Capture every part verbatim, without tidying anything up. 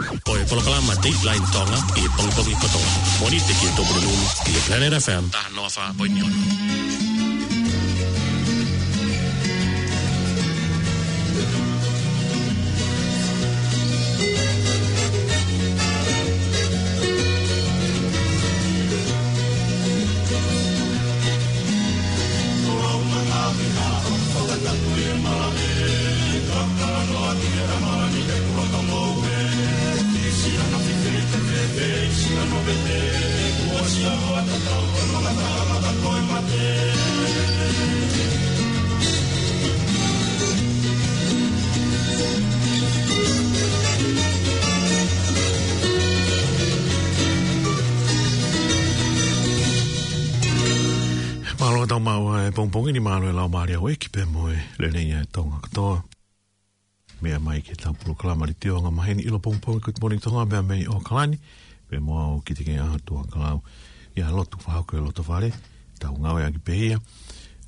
Ko e polokalama Dateline Tonga ʻi he pongipongi kotoa. Mōnite ki he Tupuna Nunu ʻi he Planet F M. Taha noa fā poini ono. Mālō ʻetau maʻu ʻa e pongipongi ni, mālō e laumālie ʻa houʻeiki pea mo e lelei ʻa Tonga kotoa. Meʻa mai ki heʻetau polokalama letiō anga maheni ʻi he pongipongi ko e Good Morning Tonga pea mei ʻAokalani, pea mo au Kitike ʻa Tuʻakalau. ʻIa, lotu fakahoko e loto fale, tau ngāueʻaki pē ia,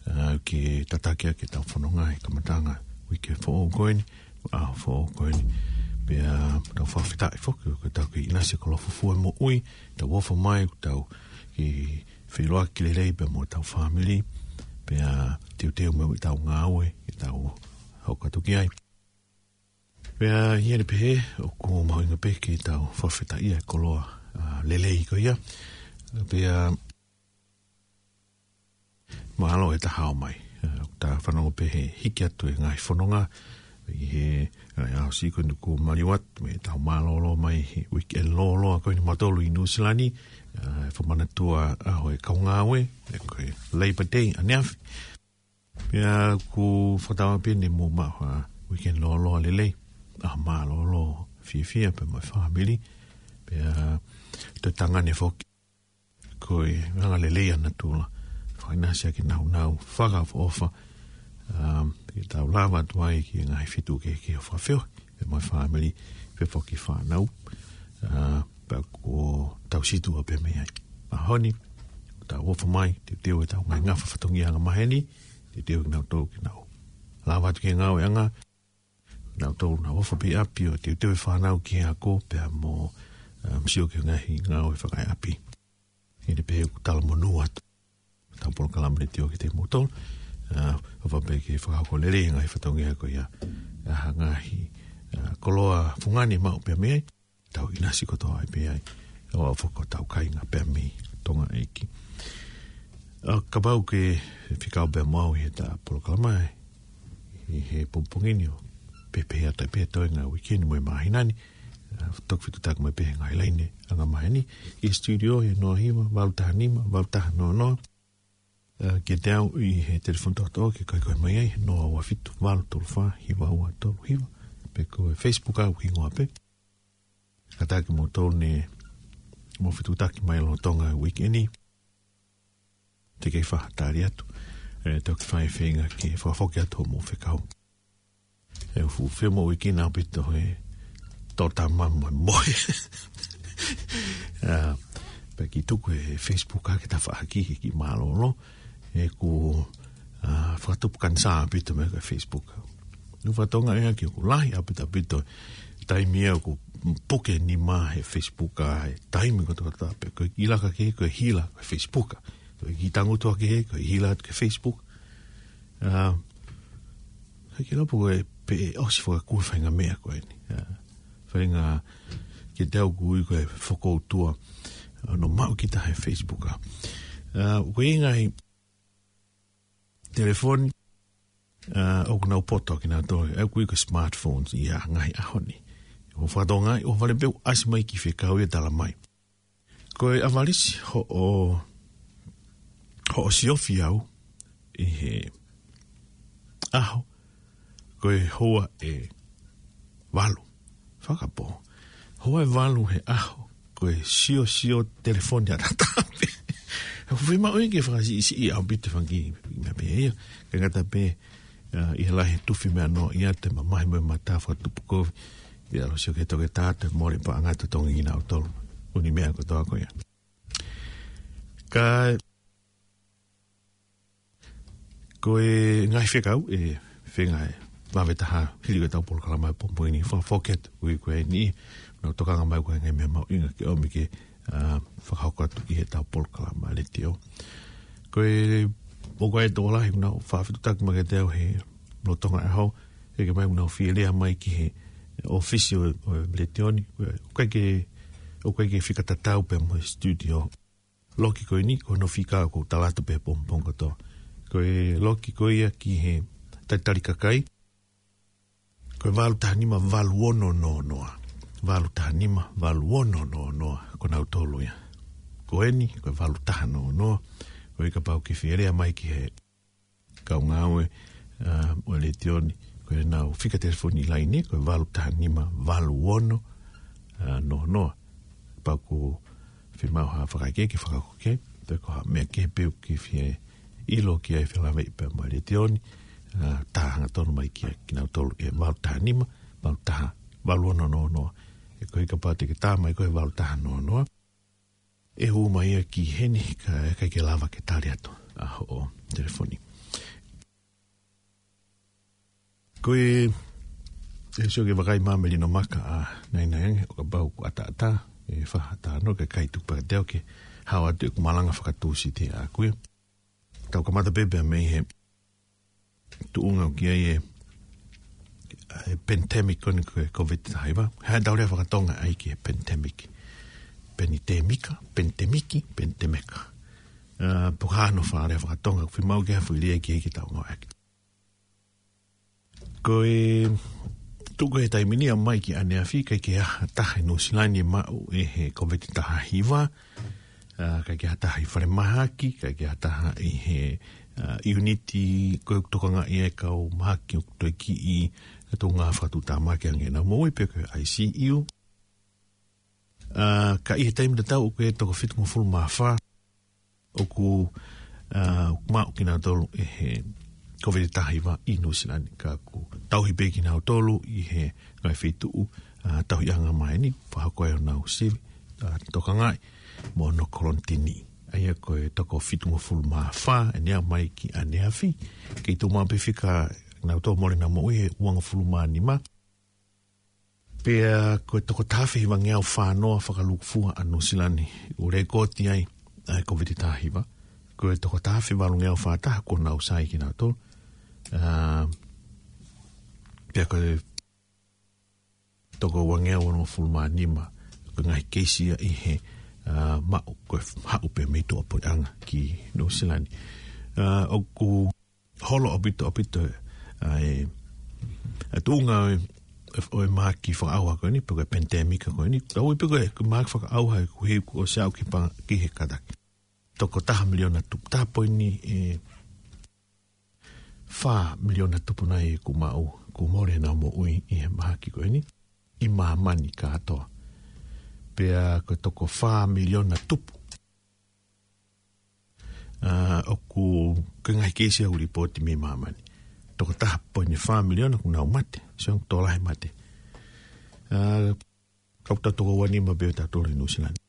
ā, ke tataki ʻaki ʻetau fononga he kamataʻanga uike foʻou ko eni, ʻaho foʻou ko eni. Pea tau fakafetaʻi foki ko ʻetau kei ʻinasi he koloa fufū e moʻui, tau ofo mai, tau kei feʻiloaki lelei pea mo ʻetau fāmili, pea teuteu mo ʻetau ngāue, ʻetau hoko atu ki ai. Pea ʻi heʻene pehē, ʻoku mahuʻinga pē ke tau fakafetaʻia e koloa, ā, lelei ko ia. Pea mālō e tau hao mai. Ā, ʻoku ta fanongo pē he hiki atu e ngaahi fononga ʻi he, ā, ʻaho siʻi ko eni kuo maliu atu, mo ʻetau mālōlō mai he weekend lōloa ko eni mautolu ʻi Nuʻusila ni, ā, e fakamanatua ʻaho e kau ngāue, ē, ko e Labor Day ʻaneafi. Pea ʻoku fakatauange pē ne mou maʻu ha weekend lōloa lelei, ʻaho mālōlō fiefia pea mo e fāmili. Pea toe tangane foki ko e anga lelei ʻa natula, fakaʻinasi ʻaki e nāunau fakaʻofoʻofa, um, ke tau lava atu ai ki he ngaahi feituʻu kehekehe ʻo fakafeohi pea mo e fāmili, pea foki fānau, ā, pea kuo tau situʻa pē mei ai. ʻAho ni, ʻoku tau ofo mai, teuteu ʻetau ngaahi ngafa fatongia anga maheni, teuteu kinautolu ke nau lava atu ki he ngāueʻanga, kinautolu nau ofo pē ʻi ʻapi ʻo teuteu e fānau ki he ako pea mo, um, sio ki he ngaahi ngāue fakaʻapi. ʻI heʻene pehē ʻoku talamonū atu ʻetau polokalama letiō kiate kimoutolu, ā, ʻofa pē ke fakahoko lelei e ngaahi fatongia ko ia, ā, ha ngaahi, ā, koloa fungani maʻu pē mei ai, tau ʻinasi kotoa ai pē ai, ʻo aʻu foki ki hotau kāinga pē mei Tonga ʻEiki. Ā, kapau ʻoku ke fekau pē mo au ʻi heʻeta polokalama ē, ʻi he pongipongi ni ʻo pehē atu pē toenga weekend mo e māhina ni, ā, toki fetuʻutaki mai pē he ngaahi laine anga maheni, ʻi he studio he noa hiva, valu taha nima, valu taha noa noa, ā, kiate au ʻi he telefoni tokotaha ke kai koe mai ai, noa ua fitu, valu tolu fā, hiva ua tolu hiva, pe ko e Facebook au hingoa pē. Kātaki mo tolu ne mou fetuʻutaki mai lolotonga e weekend ni. Te kei fakatali atu, ē, toki fai feinga ke fakafoki atu hoʻomou fekau. ʻE fuʻu femoʻuekina ʻaupito he tōtama mo e mohe. Ā, pea kiʻi tuku e Facebook ʻa e tafaʻaki he kiʻi mālōlō. ʻOku, ā, fakatupu kanisā ʻaupito meʻa ko e Facebook. Nau fatongia ʻaki ʻoku lahi ʻaupito ʻaupito taimi ia ʻoku puke nima he Facebook ʻa e taimi kotoa pē. Ko e ʻilaka kehe ko e hila ko e Facebook. Ko e kiʻi tangutu kehe ko e hila atu ki he Facebook. Ā, ʻikai ke ʻilo pe ko e pē ʻosi fakakū e faʻahinga meʻa ko eni. Ā, faʻahinga kiate au ʻoku ui ko e fokoutua, ā, ʻoku maʻu kita he Facebook ʻa. Ā, ko e ngaahi telefoni, ā, ʻoku nau poto kinautolu, ʻa ia ʻoku ui ko e smartphones ʻi he ngaahi ʻaho ni. ʻO fatongia, ʻo fale pē ʻoku ʻasi mai e kiʻi fekau ia ʻo tala mai. Ko e ʻavalisi hoʻo, hoʻo siofi au ʻi he ʻaho, ko e houa ʻe valu fakapō. Houa ʻe valu he ʻaho, ko e siosio telefoni ʻataʻatā pē. ʻOku fiemaʻu ia ke fakasiʻisiʻi ʻaupito e fanga kiʻi meʻa pehē ia. Kae ngata pē, ā, ʻi he lahi e tufi meʻa noa ʻi atu e mamahi mo e mata fakatupu kovi. ʻI he ʻalu ʻo sio ki he toketā, toe mole paʻanga totongi kinautolu. ʻUni meʻa kotoa ko ia. Ka ko e ngaahi fekau ʻe feinga e vave taha hili ko ʻetau polokalama ʻi he pongipongi ni, fakafoki atu, ui ko eni, nau tokanga mai ko e ngaahi meʻa mahuʻinga ke ʻomi ke, ā, fakahoko atu ki heʻetau polokalama letiō. Ko e, ʻoku ʻi ai e tokolahi ʻoku nau fakafetuʻutaki mai kiate au he lolotonga e ʻaho, ʻeke mai ʻoku nau fie lea mai ki he ʻōfisi ʻo, ʻo e letiō ni, ʻoku ʻikai ke, ʻoku ʻikai ke fika tatau pē mo e studio. Loki ko eni, ko hono fika ʻoku ou tala atu pē he pongipongi kotoa. Ko e loki ko ia ki he talitali kakai, ko e valu taha nima valu ono noa noa. Valu taha nima valu ono noa noa, ko nautolu ia. Ko eni, ko e valu taha noa noa. Ko ia kapau ʻoku ke fie lea mai ki he kau ngāue, ā, ʻo e letiō ni, ko ʻenau fika telefoni laine, ko e valu taha nima valu ono, ā, noa noa. Kapau ʻoku fiemaʻu ha fakakaukau ke fakakaukau, pe ko ha meʻa kehe pē ʻoku ke fie ʻilo ki ai, felāveʻi pea mo e letiō ni, ā, tā hangatonu mai kia kinautolu he valu taha nima valu taha valu ono noa noa. He ko ia kapau te ke tā mai ko e valu taha noa noa, ʻe hū mai ia ki heni, ka ʻe ʻikai ke lava ke tali atu ʻa hoʻo telefoni. Ko e, ʻe sio ki he vakai mai ʻa Melino Maka ʻa Nainai ange, ʻo kapau ʻoku ʻataʻatā, ʻe fai ha talanoa, kae ʻikai, tuku pē kiate au ke hao atu ʻeku malanga faka-Tūsite ʻaʻaku ia. Tau kamata pē pea mei he tuʻunga ʻoku ʻi ai e, e pandemic ko eni ko e Covid taha hiva. He ʻoku tau lea faka-Tonga ai ki he pandemic. Penitēmika, pandemic, pandemic. Ā, pe ko e hā hono fakalea faka-Tonga, ʻoku fiemaʻu ke ha foʻi lea ki ai ke tau ngāueʻaki. Ko e tuʻu ko ē he taimi ni ʻo aʻu mai ki ʻaneafi, ʻikai ke ʻi ai ha taha ʻi Nuʻu Sila ni ʻe maʻu ʻe he Covid taha hiva, ā, ʻikai ke ʻi ai ha taha ʻi falemahaki, ʻikai ke ʻi ai ha taha ʻi he, ā, ʻiuniti ko ē ʻoku tokangaʻi ai e kau mahaki ʻoku toekiʻi, ʻa e tuʻunga fakatuʻutāmaki ange ʻenau moʻui pe ko e I C U. Ā, ka ʻi he taimi tatau ʻoku ʻi ai e toko fitungofulu mā fā ʻoku, ā, ʻoku maʻu kinautolu ʻe he Covid taha hiva ʻi Nuʻu Sila ni, ka ʻoku tauhi pē kinautolu ʻi he ngaahi feituʻu, ā, tauhiʻanga maheni, fakahoko ai honau sivi, ā, tokangaʻi mo hono kolonitini. ʻA ia ko e toko fitungofulu mā fā ʻene aʻu mai ki ʻaneafi, kei tuʻu maʻu pē fika nautolu mole ʻenau moʻui he uangofulu mā nima. Pea ko e toko taha afe hivangeau fā noa fakalūkufua ʻa Nuʻu Sila ni ʻoku lekooti ai ʻa e Covid taha hiva. Ko e toko taha afe valungeau fā taha kuo nau sai kinautolu. Ā, pea ko e toko uangeau onongofulu mā nima ko e ngaahi keisi ia ʻi he, ā, maʻu ko e haʻu pē mei tuʻapuleʻanga ki Nuʻu Sila ni. Ā, ʻoku holo ʻaupito, ʻaupito, ā, e, e tuʻunga ʻo e, ʻo e mahaki fakaʻauha ko eni, pe ko e pandemic ko eni. Tau ui pē ko e, ko e mahaki fakaʻauha, ko e, kuo ʻosi aʻu ki he pa-, ki he kātaki. Toko taha miliona tupu, taha poini, ē, fā miliona tupu nai kuo maʻu, kuo mole ʻenau moʻui ʻi he mahaki ko eni ʻi māmani kātoa. Pea ko e toko fā miliona tupu, ā, ʻoku, ko e ngaahi keisi ʻoku lipooti mei māmani. Toko taha poini fā miliona kuo nau mate, sio ange tokolahi e mate. Ā, kau tau toko ua nima pē ʻo tautolu ʻi Nuʻu Sila ni.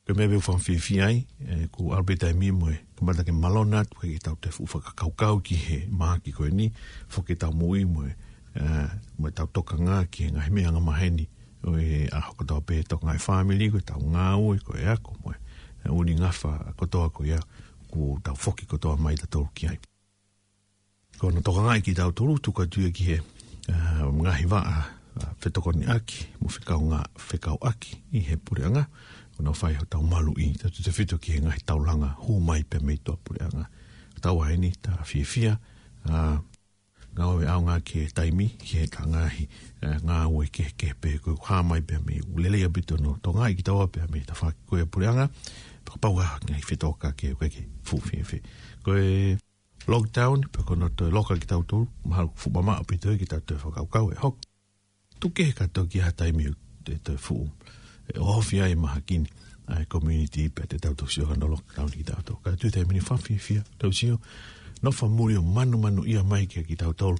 Ko e meʻa pē ʻoku ou fakafiefia ai, ē, kuo ʻalu pē taimi mo e kamata ke malona atu, ke tau toe fuʻu fakakaukau ki he mahaki ko eni, foki ʻetau moʻui mo e, ē, mo ʻetau tokanga ki he ngaahi meʻa angamaheni ʻo e ʻaho kotoa pē, tokangaʻi fāmili, ko ʻetau ngāue, ko e ako, mo e, ē, ʻū ngafa kotoa ko ia, kuo tau foki kotoa mai tautolu ki ai. Ko hono tokangaʻi kitautolu, tuku atu ia ki he, ā, ngaahi vaʻa, ā, fetokoniʻaki mo fekaungā-, fekauʻaki ʻi he puleʻanga, ko hono fai hotau maluʻi, tautefito ki he ngaahi taulanga hū mai pē mei tuʻapuleʻanga. Taua heni, tā fiefia, ā, ngāue ʻaonga ki he taimi, ki he ngaahi, ā, ngāue kehekehe pē, ko e hā mai pē mei, ʻoku lelei ʻaupito hono tokangaʻi kitaua pē mei he tafaʻaki ko ia ʻo e puleʻanga, pea kapau ʻoku ʻi ai ha ngaahi fetōkaki ʻoku ʻikai ke fuʻu fiefia. Ko e lockdown, pe ko hono toe loka kitautolu, mahalo fuʻu mamaʻo ʻaupito ia ke tau toe fakakaukau e hoko. Tuku kehe kātoa ki ha taimi ʻe toe fuʻu, ē, ʻohofi ai e mahaki ni ʻa e community pea te tau toki sio ki hono lockdown kitautolu. Ka ʻi he taimi ni fakafiefia, tau sio, nofo muli ʻo manumanuʻia mai kia kitautolu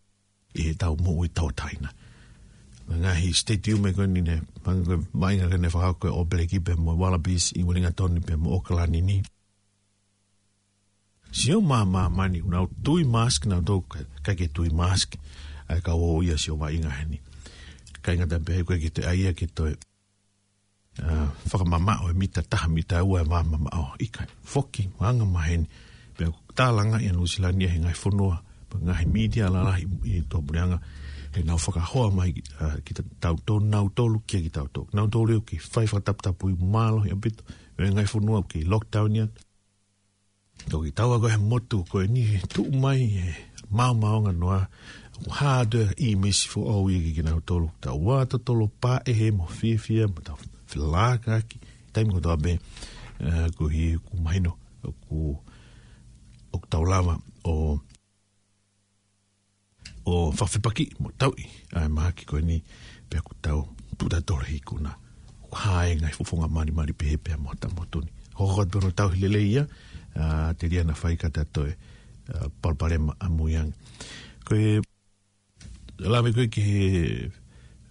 ʻi heʻetau moʻui tauʻatāina. Ngaahi stadium ē ko eni ne, manga ko e vaʻinga ko ē ne fakahoko ʻe he All Black pea mo e Wallabies ʻi Wellington pea mo ʻAokalani ni. Sio mai māmani, nau tui mask, nau tau ka, ʻikai ke tui mask. ʻa e kau ō ia ʻo sio vaʻinga heni. ʻIkai ngata pē, ʻoku ʻikai ke toe ʻai ia ke toe, ā, fakamamaʻo e mita taha, mita ua e vā mamaʻo. ʻIkai, foki, anga maheni. Pea ʻoku tālangaʻi ʻa Nuʻusila ni ʻe he ngaahi fonua, pea ngaahi mītia lalahi ʻi tuʻapuleʻanga, ʻenau fakahoa mai, ā, kitautolu, nautolu, kia kitautolu. Nautolu ʻoku kei fai fakataputapui mālohi ʻaupito, ʻa e ngaahi fonua ʻoku kei lockdown ia. Toki taua ko e motu ko eni he tuʻu mai e maomaonganoa, ʻoku hā atu e ʻīmisi foʻou ia kia kinautolu. Taua totolo pāʻehe mo fiefia, mo tau felākaki, taimi kotoa pē, ē, koeʻuhi ʻoku mahino, ʻoku, ʻoku tau lava ʻo ʻo fakafepaki mo tauʻi ʻa e mahaki ko eni, pea ʻoku tau tuʻu tautolu he ikuna. ʻOku hā e ngaahi fofonga malimali pehē pea mo hota motu ni. Hoko atu pē hono tauhi lelei ia, ā, telia naʻa fai ka ta toe, ā, palopalema ʻamui ange. Ko e lave ko ē ki he,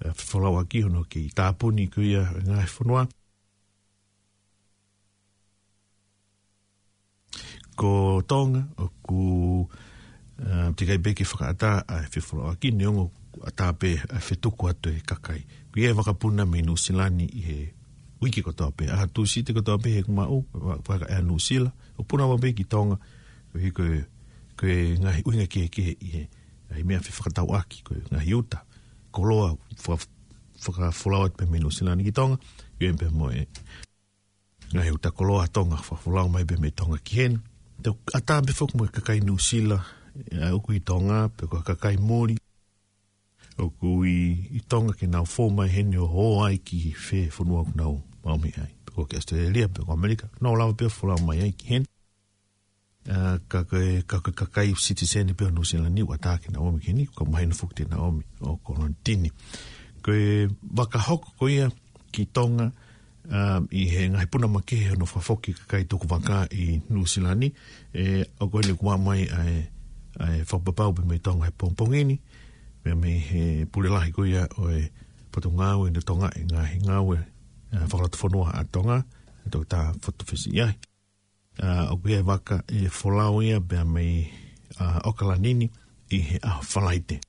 ā, fefolauʻaki hono kei tāpuni ko ia e ngaahi fonua. Ko Tonga, ʻoku, ā, teʻeki ai pē ke fakaʻatā ʻa e fefolauʻaki neongo ʻoku ʻatā pē ʻa e fetuku atu e kakai. ʻOku ʻi ai e vakapuna mei Nuʻusila ni ʻi he uike kotoa pē. ʻAho Tūsite kotoa pē he kumaʻu, va-, vaka ʻa Nuʻusila. ʻOku puna maʻu pē ki Tonga, koeʻuhi ko e, ko e ngaahi ʻuhinga kehekehe ʻi he, ʻa e meʻa fefakatauʻaki, ko e ngaahi uta koloa, faka-, fakafolau atu pē mei Nuʻusila ni ki Tonga, ʻi ai pē mo e ngaahi uta koloa Tonga, fakafolau mai pē mei Tonga ki heni. Te u ʻatā pē foki mo e kakai Nuʻusila, ē, ʻoku ʻi Tonga, pe ko e kakai muli ʻoku ʻi, ʻi Tonga ke nau fou mai heni ʻo ō ai ki fē fonua ʻoku nau maʻu mei ai. Pe ko ki ʻAositelēlia, pe ko ʻAmelika, nau lava pē ʻo folau mai ai ki heni. Ā, ka ko e, ka ko e kakai citizen pē ʻo Nuʻusila ni ʻoku ʻatā ke nau ō mai ki heni, ka mahino foki te nau ō mai ʻo kolonitini. Ko e vaka hoko ko ia ki Tonga, ā, ʻi he ngaahi puna makehe hono fakafoki kakai tukuvaka ʻi Nuʻusila ni, ē, ʻoku ʻi ai ʻoku maʻu mai ʻa e, ʻa e fakapapau pē mei Tonga he pongipongi ni, pea mei he pule lahi ko ia ʻo e Potungāue ʻo Tonga ʻi he ngaahi ngāue, ā, fakalotofonua ʻa Tonga, ʻa Toketā Fotofesi ʻi ai. Ā, ʻoku ʻi ai e vaka ʻe folau ia pea mei, ā, ʻAokalani ni ʻi he ʻaho Falaite.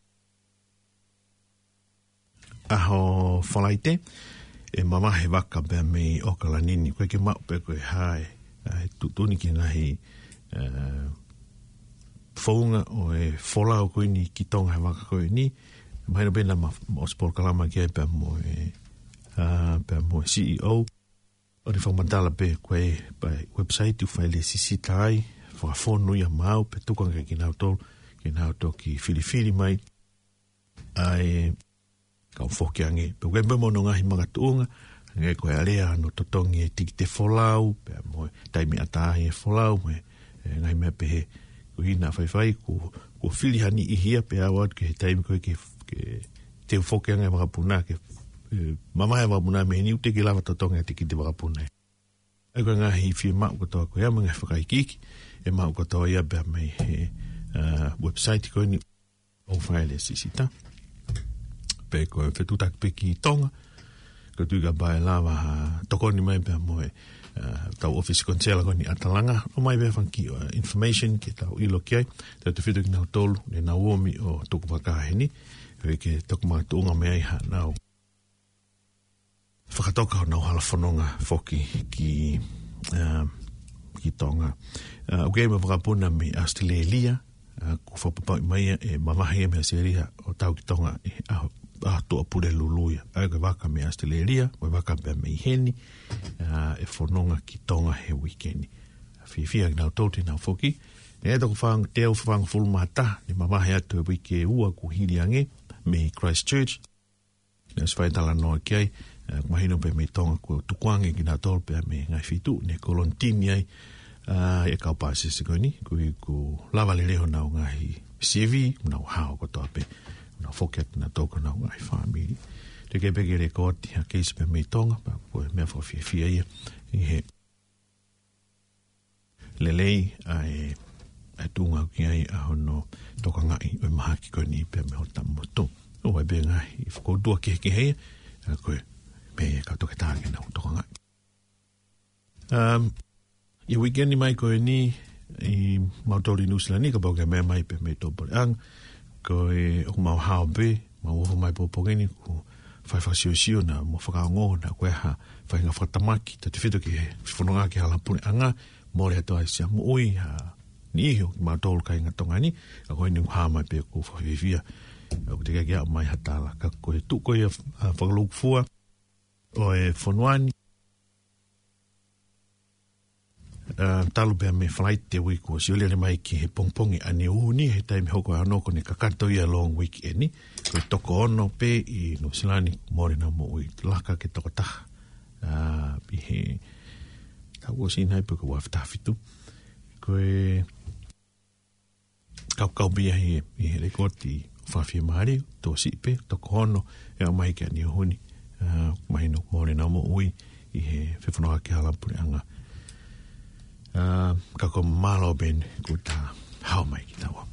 ʻAho Falaite, ʻe mavahe e vaka pea mei ʻAokalani ni. ʻOku ʻikai ke maʻu pe ko e hā e, ā, e tuʻutuʻuni ki he ngaahi, ā, founga ʻo e folau ko eni ki Tonga he vaka ko eni. Mahino pē naʻa ma-, ma-, ʻosi polokalama ki ai pea mo e, ā, pea mo e C E O. ʻOku ne fakamatala pē ko e, pa, website ʻoku fai lēsisita ai, fakafonu ia maʻau, pea tuku ange kia kinautolu, ke nau toki filifili mai ʻa e kau foki ange. Pea ʻoku ʻi ai pē mo hono ngaahi makatuʻunga, hangē ko e alea hono totongi e tikite folau, pea mo e taimi ʻatā ai e folau, mo e, e ngaahi meʻa pehē. Ko e hā naʻa faifai, ko, ko fili ha niʻihi ia pea aʻu atu ki he taimi ko ē ke, ke teu foki ange e vakapuna, ke, ē, mamae e vakapuna mei heni, ʻoku teʻeki lava totongi e tikite vakapuna. ʻA ia ko e ngaahi fiemaʻu kotoa ko ia mo e ngaahi fakaikiiki, ʻe maʻu kotoa ia pea mei he, ā, website ko eni ʻoku fai ai e lēsisita. Pe ko e fetuʻutaki pē ki Tonga, ko e tui kapau ʻe lava ha tokoni mai pea mo e, ā, tau ʻōfisi konisela ko eni ʻa Talanga, ʻomai pē fanga kiʻi, ā, information ke tau ʻilo ki ai, tautautefito kinautolu, ne nau ō mai ʻo tukuvaka heni, ʻo ʻikai ke toki makatuʻunga mei ai haʻanau fakatoka honau hala fononga foki ki, ā, ki Tonga. Ā, ʻoku ʻi ai mo e vakapuna mei ʻAositelēlia, ā, kuo fakapapauʻi mai ia ʻe mavahe ia mei ʻAositelēlia ʻo tau ki Tonga ʻi he ʻaho, ʻaho Tuʻapulelulu ia. ʻA ia ko e vaka mei ʻAositelēlia, mo e vaka pea mei heni, ā, ʻe fononga ki Tonga he uike ni. Fiefia kinautolu te nau foki. Naʻe toko fāng-, teau fāngofulu mā taha, ne mavahe atu he uike ua kuo hili ange, mei Christchurch. Naʻe ʻosi fai e talanoa ki ai, ē, ʻoku mahino pē mei Tonga kuo tukuange kinautolu pea mei he ngaahi feituʻu ne kolonitini ai, ā, e kau pāsese ko eni, koeʻuhi kuo lava lelei honau ngaahi sivi, nau hao kotoa pē, nau foki atu nautolu ki honau ngaahi fāmili. Teʻeki pē ke lēkooti ha keisi pē mei Tonga, pea ko e meʻa fakafiefia ia, ʻi he lelei ʻa e, ʻa e tuʻunga ʻoku ʻi ai ʻa hono tokangaʻi ʻo e mahaki ko eni pea mei hota motu. ʻOku ʻi ai pē ngaahi fakautua kehekehe ia, ā, ko e meʻa ia ka Toketā ke nau tokangaʻi. Um, ʻi he uike ni mai ko eni, ʻi mautolu ʻi Nuʻusila ni, kapau ʻoku ke meʻa mai pē mei tuʻapuleʻanga, Ko e ʻoku mau hao pē, mau ō mai pongipongi ni, ko e fai fakasiosio naʻa mo fakaongo naʻa ko e hā e faʻahinga fakatamaki, tautefito ki he fononga ki he hala puleʻanga, mole atu ai siʻa moʻui ha niʻihi ʻo kimautolu kāinga Tonga ni, ka ko eni ʻoku hao mai pē ʻoku fakafiefia, ʻoku teʻeki ke ʻomai ha tala, ka ko e tuʻu ko ia, ʻa, fakalūkufua ʻo e fonua ni, ʻa, talu pē mei Falaite uike kuo ʻosi ʻo lele mai ki he pongipongi ʻaneafi ni he taimi hoko ʻa hono ko eni kakato ia long weekend ni, ko e toko ono pē ʻi Nuʻusila ni mole ʻenau moʻui, laka ki he toko taha. ʻA, ʻi he taʻu kuo ʻosi nai pē ko e ua afe taha fitu. Ko e kaukau pē ia he, ʻi he lēkooti fakafiemālie, tokosiʻi pē, toko ono, ʻe aʻu mai ki ʻaneafi ni, ʻa, mahino mole ʻenau moʻui ʻi he fefononga ki he hala puleʻanga. ʻA, ka ko e mālō pē eni kuo ta hao mai kitaua.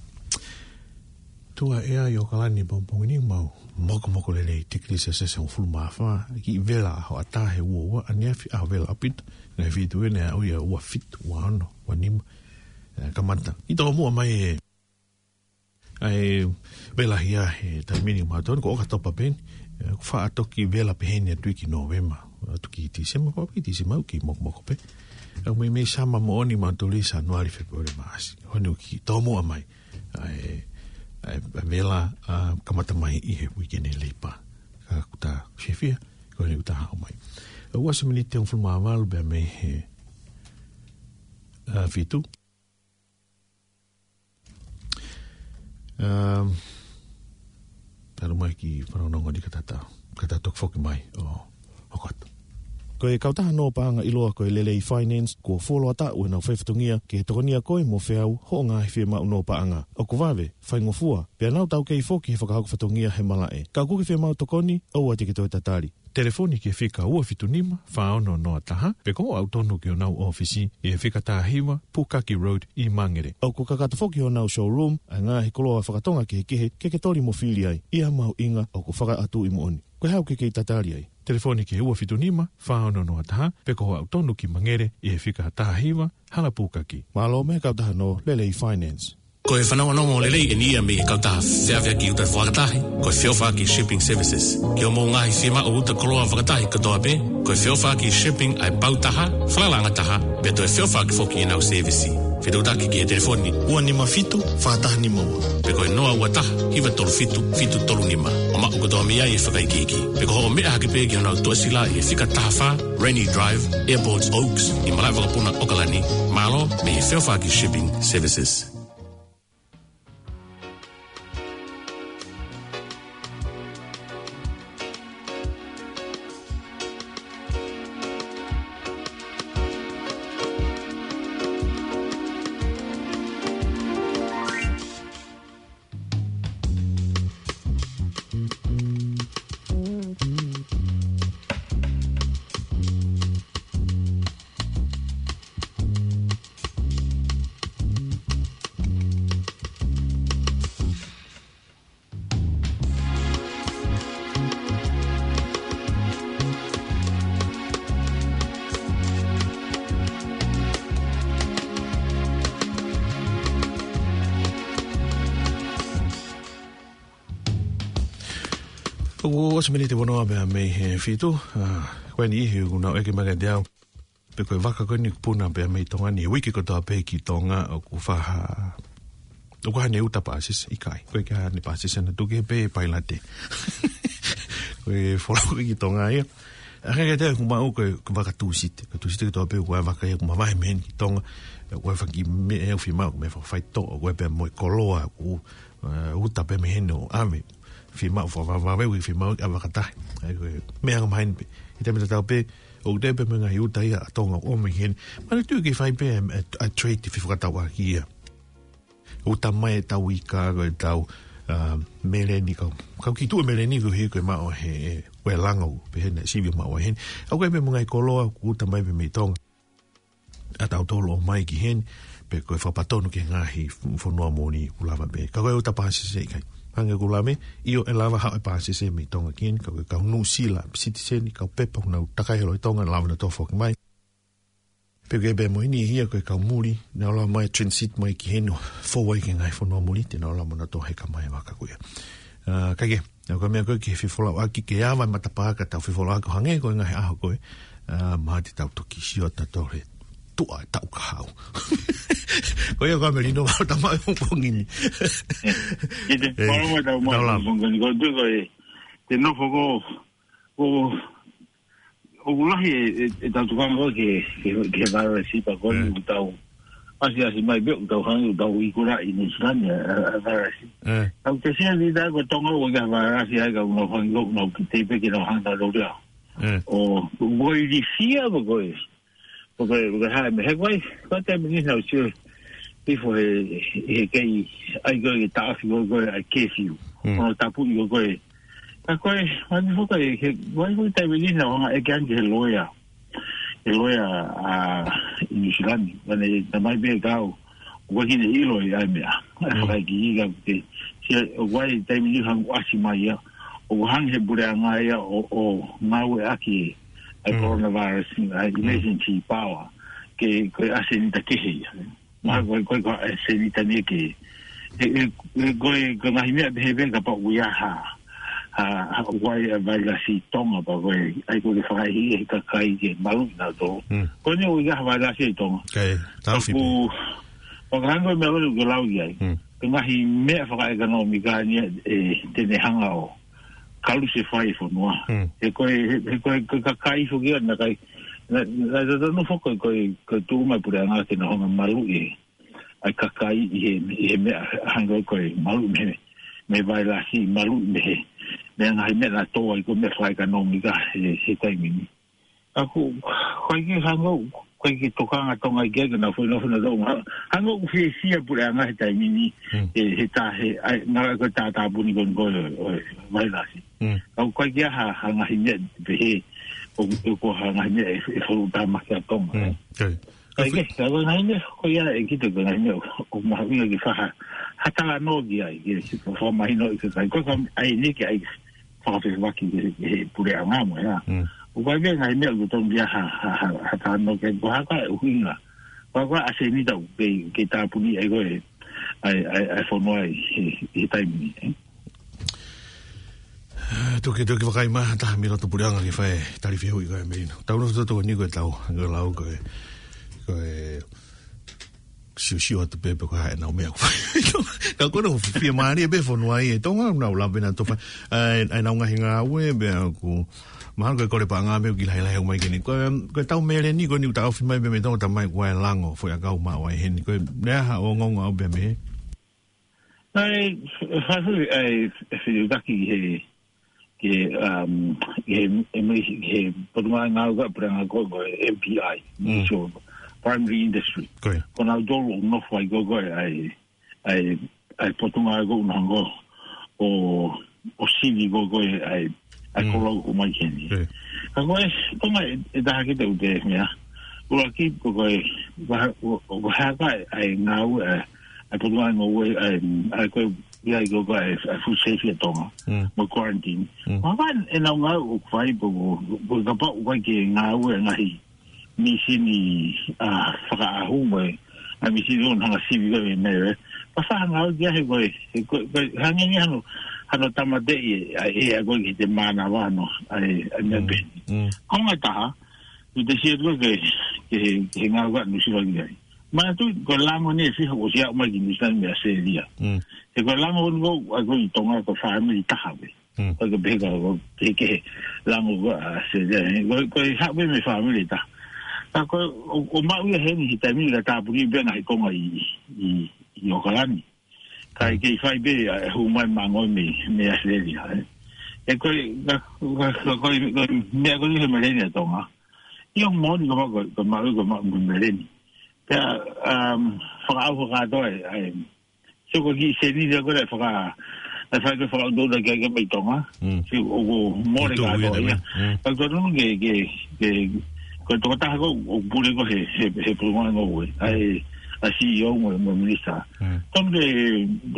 Tuʻa ʻea ʻi ʻAokalani pongipongi ni mau mokomoko lelei, tikilī Selesiasi hongofulu mā fā, kiʻi vela ʻaho ʻatā he ua ua, ʻaneafi ʻaho vela ʻaupito, ngaahi feituʻu ʻe aʻu ia ua fitu, ua ono, ua nima, ʻe, kamata. ʻI tomuʻa mai e, ʻa e vela hia he taimi ni mautolu ko ʻOkatopa pē eni, ʻe, ʻoku faʻa toki vela pē heni atu ki Nōvema, atu ki Tīsema, ko ki Tīsema ʻoku mokomoko pē. ʻOku meimei summer moʻoni mautolu ʻi Sānuali, Fēpueli, Maʻasi. Ko eni ʻoku kiʻi tomuʻa mai ʻa e, ʻa e, ʻa e vela, ʻa, kamata mai ʻi he weekend ʻe Leipa. Ka ʻoku ta fiefia, ko eni ʻoku ta hao mai. ʻOku ʻosi miniti hongofulu mā valu pē mei he, ʻa, fitu. Um, talu mai ki fanongonongo ni ka ta, ka ta toki foki mai ʻo hoko atu. Ko e kautaha nō paʻanga ʻiloa ko e Lelei Finance, kuo fuoloa taʻu ʻenau faifatongia ke tokonia koe mo feau hoʻo ngaahi fiemaʻu nō paʻanga. ʻOku vave, faingofua, pea nau taukei foki he fakahoko fatongia he malaʻe. Ka ʻoku ke fiemaʻu tokoni, ʻoua te ke toe tatali. Telefoni ki he fika ua fitu nima, fā ono noa taha, pe ko hoʻo aʻu tonu ki honau ʻōfisi ʻi he fika taha hiva, Pukaki Road ʻi Mangere. ʻOku kakato foki honau showroom ʻa e ngaahi koloa fakatonga kehekehe ke ke toli mo fili ai, ʻi ha mahuʻinga ʻoku fakaʻatuʻi moʻoni. Ko e hā ʻoku ke kei tatali ai? Telefoni ki he ua fitu nima, fā ono noa taha, pe ko hoʻo aʻu tonu ki Mangere ʻi he fika taha hiva, Hala Pukaki. Mālō mei he kautaha nō Lelei Finance. Ko e fanongonongo lelei eni ia mei he kautaha feʻaveʻaki uta fakatahi, ko e Feʻofaʻaki Shipping Services. Ki hoʻomou ngaahi fiemaʻu uta koloa fakatahi kotoa pē, ko e Feʻofaʻaki Shipping ʻa e pau taha, falalaʻanga taha, pea toe feʻofaʻaki foki ʻenau sēvisi. Fetuʻutaki ki he telefoni ua nima fitu, fā taha nima ua, pe ko e noa ua taha, hiva tolu fitu, fitu tolu nima. ʻO maʻu kotoa mei ai e fakaikiiki. Pe ko hoʻo meʻa hake pē ki honau tuʻasila ʻi he fika taha fā, Rainy Drive, Airport Oaks, ʻi malaʻe vakapuna ʻAokalani, mālō mei he Feʻofaʻaki Shipping Services. ʻOku ʻosi miniti ua noa pē mei he fitu, ʻa, ko eni ʻoku nau ʻeke mai kiate au pe ko e vaka ko eni ʻoku puna pē mei Tonga ni, uike kotoa pē ki Tonga, ʻoku faʻa, ʻoku ʻi ai haʻane uta pāsese, ʻikai. ʻOku ʻikai haʻane pāsese, naʻa tuku pē pailate. Ko e folau ki Tonga ia. ʻA, ka kiate au ʻoku maʻu ko e, ko e vaka Tūsite. Ko e Tūsite kotoa pē ʻoku ʻi ai e vaka ia ʻoku mavahe mei heni ki Tonga. ʻOku ʻi ai e fanga kiʻi meʻa ʻoku fiemaʻu, meʻa fakafaitoʻo, ʻoku ʻi ai pē mo e koloa, ʻoku, ʻa, uta pē mei heni ʻo ʻave. Fiemaʻu fakavavevave, fiemaʻu ʻa e vaka tahi. ʻA ia ko e meʻa ʻoku maheni pē. He taimi tatau pē, ʻoku teʻeki pē mo e ngaahi uta ia ʻa Tonga ʻoku ʻomai heni. Manatuʻi ke fai pē ʻa e, ʻa e trade fefakatauʻaki ia. Uta mai ʻetau ika, ko ʻetau, ʻa, meleni kau. Kau kiʻi tuʻu meleni ko e hiko e maʻu he, ʻe, ko e langa ʻoku pehē naʻe sivi maʻu heni. ʻOku ʻi ai pē mo e ngaahi koloa, ʻoku uta mai pē mei Tonga. ʻA tautolu ʻomai ki heni, pe ko e fakapatonu ki he ngaahi f-, fonua moʻoni ʻoku lava pē. Ka ko e uta pāsese ʻikai. Hangē ko e lave, ʻio ʻe lava haʻu e pāsese mei Tonga ki heni, ka ko e kau Nuʻusila, sitiseni, kau pepa ʻoku nau takai holo ʻi Tonga, lava nautolu ʻo foki mai. Ke pē mo eni ia ko e kau muli, nau lava mai transit mai ki heni ʻo fou ai ki he ngaahi fonua muli, te nau lava mo nau toe heka mai vaka ko ia. ʻA, kae kehe, naʻa ko e meʻa ko ē ke fefolauʻaki ke ava e matapā ka tau fefolauʻaki ʻo hangē ko e ngaahi ʻaho ko ē, ʻa, mahalo te tau toki sio atu ʻo toe tuʻa e taʻu kahaʻu. Ko ia ko e melino ʻa e tama ʻo e pongipongi ni. ʻE, ʻe te, ʻe, mālō mo e tau mai, tau lava. Pongipongi ni, ko e tuʻu ko e, te nofo ko, ko, ʻoku lahi e, e, e tau tukanga ko ē ke, ke, ke vailasi pea ko e ʻOku tau ʻasi, ʻasi mai pē ʻoku tau hangē ʻoku tau ikula ʻi Nuʻu Sila ni ʻa, ʻa, ʻa vailasi. ʻE. Tau te sia ni tā ko Tonga ʻoku ʻikai ha vailasi ai ka ʻoku nau hangē ʻoku nau kiʻi tepe ke nau hangē ʻoku nau lea. ʻE. ʻO, ʻoku ʻi fia pē ko e. ʻOku, ʻoku haʻu mei he ko e, ko e taimi ni naʻa ku sio hifo he, he kei ʻai ko e taʻofi ko e, ko e ʻa e curfew. Mm. ʻO tapuʻi ko e, ko e. Ka ko e, mani foka e, he, ko e, ko e taimi ni naʻa ku hanga ʻeke ange he loea. He loea, ʻa, ʻi Nuʻu Sila ni. Mani, naʻe mai pē kau, ʻoku ʻikai ke ne ʻilo ʻa e meʻa. ʻA e Mm. fakaʻekeʻeke ka te, sia, ʻoku ʻi ai e taimi ni hangē ʻoku ʻasi mai ia. ʻOku hangē he puleʻanga ia ʻo, ʻo ngāueʻaki ʻa e Mm. coronavirus, ʻa e Mm. emergency power, ke, ko e ʻasenita kehe ia. Ma Mm. ko e, ko e, ko e ʻasenita ni ke, he, he, he, ko e, ko e ngaahi meʻa pehē pē kapau ʻoku ʻi ai ha, ha, ha, ʻoku ʻi ai e vailasi ʻi Tonga pea ko e, ʻai ko e fakaʻehiʻehi e kakai ke maluʻi nautolu. Mm. Ko eni ʻoku ʻi ai ha vailasi ʻi Tonga. Kae, tau Ka fipi. ʻoku, ʻoku hangē ko e meʻa ko ē ʻoku lau ki ai. Mm. Ko e ngaahi meʻa fakaʻekonōmika ni ʻe, te ne hanga ʻo kalusefai e fonua. Mm. He ko e, he, he ko e, ko e kakai foki ia naʻe ʻikai, naʻe, naʻe, naʻe totonu foki ko e, ko e, ko e tuʻu mai puleʻanga ke nau hanga maluʻi ʻa e kakai ʻi he, ʻi he meʻa hangē ko e maluʻi mei he, mei he vailasi, maluʻi mei he, mei he ngaahi meʻa naʻe tō ai ko e meʻa fakaʻekonōmika he, he taimi ni. ʻA ko, ko e ke hangē, ko e ke tokanga Tonga ʻi ke, ke nau foʻi nofo nautolu. Hangē ʻoku fiefia puleʻanga he taimi ni, Mm. he, he tā, he, ʻai, ngara ko e tātāpuni ko eni ko e, ʻo e vailasi. Mm. ʻA ko e ke ha, ha ngaahi meʻa pehē, ʻo, ʻo ko ha ngaahi meʻa ʻe, ʻe folu tāmaki ʻa Tonga. Mm. Kae. Kae ke, ka ko e ngaahi meʻa, ko ia ʻe kite ko e ngaahi meʻa, ʻo, ʻoku mahuʻinga ke fai ha, ha talanoa ki ai, ke, ke fakamahino ʻi he kakai. Ko e ka, ʻai ni ke ʻai, fakafehokaki ki he, ki he puleʻanga mo ia. Mm. ʻOku ʻi ai pē ngaahi meʻa ʻoku totonu ke ha, ha, ha, ha talanoa ki ai ko e hā ko e ʻuhinga. Ko e hā ko e ʻasenita ʻoku kei, kei tāpuni ai ko e, ʻai, ʻai, ʻai fonua ʻi he, he taimi ni, ē. Tuki, tuki vakai mai, ha taha mei loto puleʻanga ke fai tali fehuʻi ko e melino. Tau nofo toto ni ko e tau, ko e lau ko e, ko e, siosio atu pē pe ko e hā ʻenau meʻa ʻoku fai. Ka ko e ʻuhinga fiemālie pē fonua ʻi Tonga, nau lava pē nautolu ʻo fai. ʻAi, ʻai ʻenau ngaahi ngāue, pea ʻoku, mahalo ko e kole paʻanga pē ʻoku kiʻi lahilahi ʻomai ke ni. Ko e, ko e tau meleni, ko eni ʻoku taʻofi mai pē mei Tonga tamai ko e lango, foʻi ʻakau maʻu ai heni. Ko e, lea ha ongoongo ʻaʻau pē mei he. ʻAi, fa-, fa-, ʻai, fetuʻutaki he, ke, um, he, he, he, he potungāue ngāue ko e puleʻanga ko e M P I, Mm. so, primary industry. Ko ia. Ko nautolu ʻoku nofo ai ko e, ko e, ʻai, ʻai, ʻai potungāue ko ʻuhinga ʻo, ʻo sivi ko e, ko e, ʻai, ʻai Mm. kolo ʻoku ʻomai heni. Ko ia. Ka ko e, ko e meʻa ʻe, ʻe taha ke te u te meʻa. ʻUluaki, ko e, ko e, ko e, ko e hā ko e, ʻai ngāue, ʻai, ʻai potungāue ngāue, ʻai, ʻai ko e, ʻi ai ko e, ko e, ʻai food safety ʻa Tonga. Mm. Mo e quarantine. Mm. Ko e hā ʻenau ngāue ʻoku fai pe ko, pe kapau ʻoku ʻikai ke ngāue ngaahi mīsini, ʻa, fakaʻahu mo e, ʻa, mīsini ʻoku hanga sivi ko e meʻa, ē. Pea fai ha ngāue ki ai he ko e, he ko e, ko e, hangē ni hano, hano tāmateʻi, ʻa, ʻe, ʻa, ko e ki he mānava hano, ʻa, ʻa, meʻa Mm. pehē ni. Mm. Ko e ngaahi taha, ʻi he sio atu ke, ke, ke ngāue ʻa Nuʻu Sila ki ai. Manatuʻi, ko e lango ni ʻe fiha ʻosi aʻu mai ki Nuʻu Sila mei ʻAositelēlia. Mm. He ko e lango ni ko, ʻa, ko ʻi Tonga ko e fāmili taha pē. Mm. Ko e ke pehē ka ko e kehekehe lango ko ʻAositelēlia, ē. Ko, ko e haʻu pē mei he fāmili taha. Ka ko e, ʻo, ʻo maʻu ia heni he taimi ni ka tāpuni pē ngaahi konga ʻi, ʻi, ʻi ʻOkalani. Ka Mm. ʻikai fai pē, ʻa, hū mai māngo mei, mei ʻAositelēlia, ē. Ē ko e, ka, ka, ka, ko e, ko e meʻa ko eni he meleni ʻa Tonga. ʻIo moʻoni ko e maʻu, ko e, ko e maʻu, ko e maʻu mo e meleni. Pea, um, fakaʻau fakakātoa, ʻai, ʻai, so ko e kiʻi sēniti ko ē ʻe faka-, ʻe fai ko e fakaʻutoʻuta ki ai ke mei Tonga. Mm. So ʻoku mole Tuʻu kātoa ia ia. Mm. Ka ko e tonu ke, ke, ke, ko e tokotaha ko ē ʻoku pule ko ē he, he, he potungāue ngāue. ʻAi, ʻa e C E O mo, mo e minisitā. Mm. Tonu ke,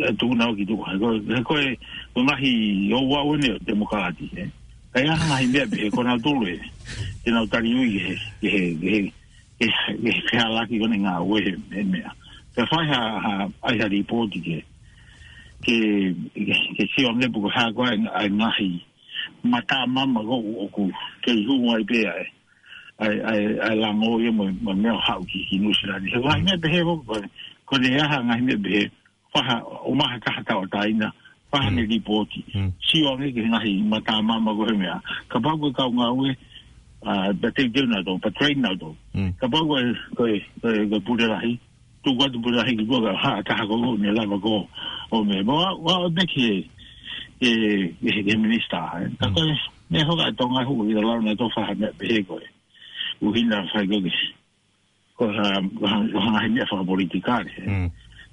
ʻe tuku nau ki tuʻa. He ko e, he ko e, ko e ngaahi ouau eni ʻo e temokalati, ē. ʻAi ha ngaahi meʻa pehē ko nautolu ē. Te nau tali ui he, he, he, he, ke, ke, ke halaki ko ʻene ngāue he, he meʻa. Ke fai ha, ha, ʻai ha lipooti ke, ke, ke, ke sio ange pe ko e hā ko ē ʻa e ngaahi matamama ko ē ʻoku, ʻoku kei hū ai pē ʻa e, ʻa e, ʻa e, ʻa e lango ia mo, mo e meʻa ʻo haʻu ki, ki Nuʻu Sila ni. He ngaahi meʻa pehē ko, ko, ko e ʻi ai ha ngaahi meʻa pehē, fai ha, ʻomai ha taha tauʻatāina, fai haʻane lipooti. Sio ange ki he ngaahi matamama ko ē he meʻa. Kapau ko e kau ngāue, ʻa, pea teuteu nautolu, pea train nautolu. Kapau ko e, ko e, ko e, ko e pule lahi, tuku atu pule lahi ki tuʻa ka ha, taha ko ē ʻoku ne lava ko ē ʻo meʻa. Pea ʻoku, ʻoku ou pehē ki he, ki he, ki he minisitā, ē. Ka ko e, meʻa fakatonga hu, ʻi he lau nautolu fai ha meʻa pehē ko ē. ʻUhinga fai ko ē ke ko ha, ko ha, ko ha ngaahi meʻa fakapolitikale.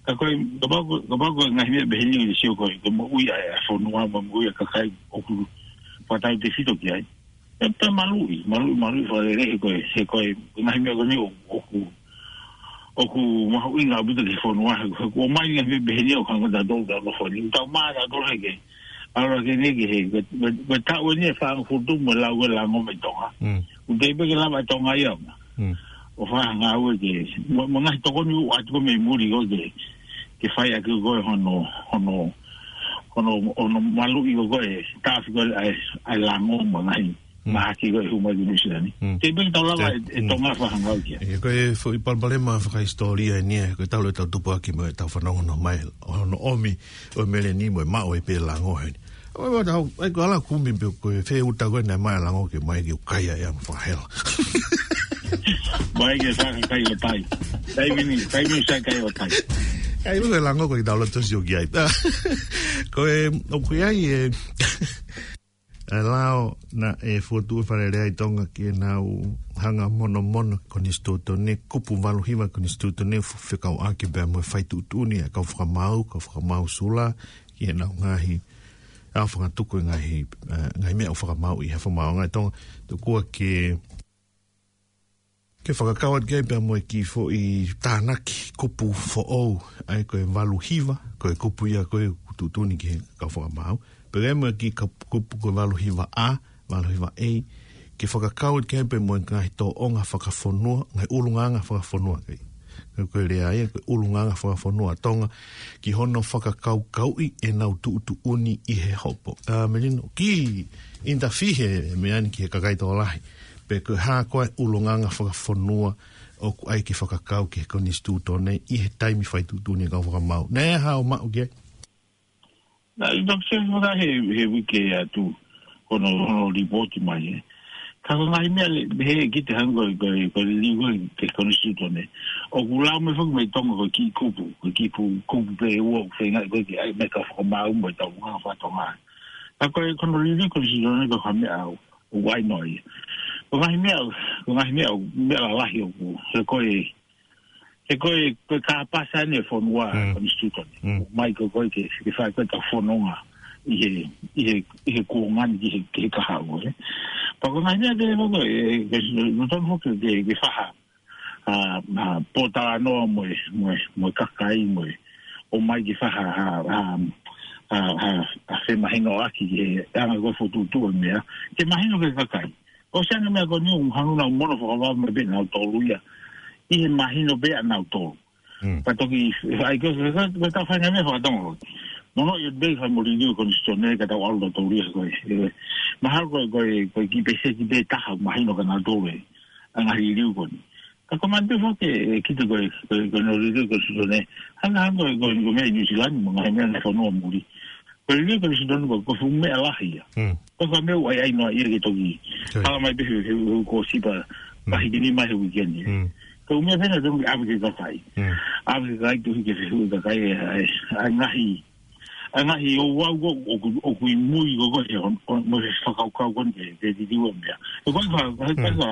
Ka ko e, kapau ko, kapau ko e ngaahi meʻa pehē ni ʻoku sio ko e, ko e moʻui ʻa e, ʻa e fonua mo e moʻui ʻa e kakai ʻoku fakatautefito ki ai. ʻE pē maluʻi, maluʻi, maluʻi fakalelei he ko e, he ko e, ko e ngaahi meʻa ko eni ʻoku, ʻoku, ʻoku mahuʻinga ʻaupito ki he fonua, he, he ʻoku ʻomai ngaahi meʻa pehē ni ʻo hangē ko tautolu, tautolu fonua. Tau mā tautolu he ke, ʻalu ke ne ke he, ko e, ko e, ko e taʻu eni ʻe fāngofulu mo e lau ko e lango mei Tonga. ʻOku teʻeki pē ke lava ʻe Tonga ia. ʻO fai ha ngāue ke, mo, mo e ngaahi tokoni ʻoku ʻoatu ko ē mei muli ko ē ke, ke fai ʻaki ko ē hono, hono, hono, hono maluʻi ko ē, taʻofi ko ē ʻa e, ʻa e lango mo e ngaahi mahaki ko ē ʻoku hū mai ki Nuʻu Sila ni. Teʻeki pē ke tau lava ʻe, ʻe Tonga fai ha ngāue ki ai. ʻIo, ko e foʻi palopalema fakahisitōlia eni ē, ko e talu ʻetau tupu ʻaki mo ʻetau fanongo mai, ʻo hono ʻomi ʻo e meleni mo e maʻu ai pē lango heni. ʻOi, ʻoku tau, ʻai ko e ala kumi pe ko e fē uta ko ē naʻe maʻu e lango ke mai ke u kai ai ʻa e fakahela. Mai ke fakakai ʻo tai. Taimi ni, taimi ni sai kai ʻo tai. ʻAi, ko e lango ko ē ke tau loto sio ki ai. Ko e, ʻoku ʻi ai e, e lao naʻe fokotuʻu ʻe Fale Alea ʻi Tonga ke nau hanga ʻo monomono konisitūtone, kupu valu hiva konisitūtone, fekauʻaki pea mo e fai tuʻutuʻuni ʻa e kau fakamaau, kau fakamaau Sula, ki heʻenau ngaahi, ʻa e fakatuku e ngaahi, ʻa e, ngaahi meʻa ʻoku fakamaau ʻi he fakamaauʻanga ʻi Tonga, tokua ke, ke fakakau atu ki ai pea mo e kiʻi foʻi tānaki kupu foʻou, ʻa ia ko e valu hiva, ko e kupu ia ko ē ʻoku tuʻutuʻuni ki he kau fakamaau, pea mo e kiʻi kap-, kupu ko e valu hiva A, valu hiva A, ke fakakau atu ki ai pea mo e ngaahi tōʻonga fakafonua, ngaahi ʻulungaanga fakafonua ki ai. Ko e lea ia, ko e ʻulungaanga fakafonua ʻa Tonga, ki hono fakakaukauʻi ʻenau tuʻutuʻuni ʻi he hopo. ʻA, Melino, kiʻi interview he meʻa ni ki he kakai tokolahi. Pe ko e hā ko ē ʻulungaanga fakafonua ʻoku ʻai ke fakakau ki he konisitūtone ʻi he taimi fai tuʻutuʻuni ʻa e kau fakamaau. Naʻe hao maʻu ki ai. Naʻe ʻi ai ha fakahe, he uike atu, ko hono, hono lipooti mai, ē. Ka ko e ngaahi meʻa le, he ki te hanga ko e, ko e, ko e liliu ko ē ki he konisitūtone. ʻOku lau mai foki mei Tonga ko e kiʻi kupu, ko e kiʻi pu-, kupu pē ʻe ua ʻoku feinga ko ē ke ʻai mai kau fakamaau mo e tau ngaahi fakatonga. Ka ko e, ko hono liliu konisitūtone ko e hā e meʻa ʻoku, ʻoku ʻai noa ia. Ko e ngaahi meʻa, ko e ngaahi meʻa, meʻa lalahi ʻoku, he ko e, he ko e, ko e kāpasa ʻeni e fonua, konisitūtone. Mai ko ē ko ē ke, ke fai ko ē ʻetau fononga ʻi he, ʻi he, ʻi he kuonga ni ki he, ki he kahaʻu, ē. Pea ko e ngaahi meʻa ke, ko e, ke, ke, ke, ke fai ha, ʻa, ʻa, pōtalanoa mo e, mo e, mo e kakai mo e, ʻomai ke fai ha, ha, ha, ha, ha, ha femahinoʻaki ki he anga ko ē fokotuʻutuʻu e meʻa. Ke mahino ki he kakai. ʻOsi ange meʻa ko eni ʻoku hangē ʻoku nau mono fakavave mai pē nautolu ia. ʻI he mahino pē ʻanautolu. Ka toki, ʻai ko e, ko e, ko e tau fai ngaahi meʻa fakatonga ko ē. Mono ia pē fai mo liliu konisitūtone ka tau ʻalu nautolu ia ko ē. Ē, mahalo ko e, ko e, ko e kiʻi pēseti pē taha mahino kia nautolu e. ʻA e ngaahi liliu ko eni. Ka ko e manatu foki ē, ʻe kita ko e, ko e, ko hono liliu konisitūtone. Hanga, hanga ko e, ko e, ko e meʻa ʻi Nuʻu Sila ni mo e ngaahi meʻa naʻe fanongo muli. Ko e liliu konisitūtone ko e, ko e fuʻu meʻa lahi ia. Ko e fuʻu meʻa ʻoku ʻai, ʻai noa ia ke toki. Hala mai pē he, he, he ko sipa, pa hiki nima he uike ni. Ko e meʻa pē naʻa toki ʻave ki he kakai. ʻAve ki he kakai, tohi ke fehuʻi e kakai, ē, ʻa e, ʻa e ngaahi, ʻa e ngaahi ouau ko ē, ʻoku, ʻoku ʻi mui ko ē, ko e, ʻo, ʻo, mo e fakakaukau ko eni ke, ke liliu e meʻa. Ko e fa, fa, fa, fa,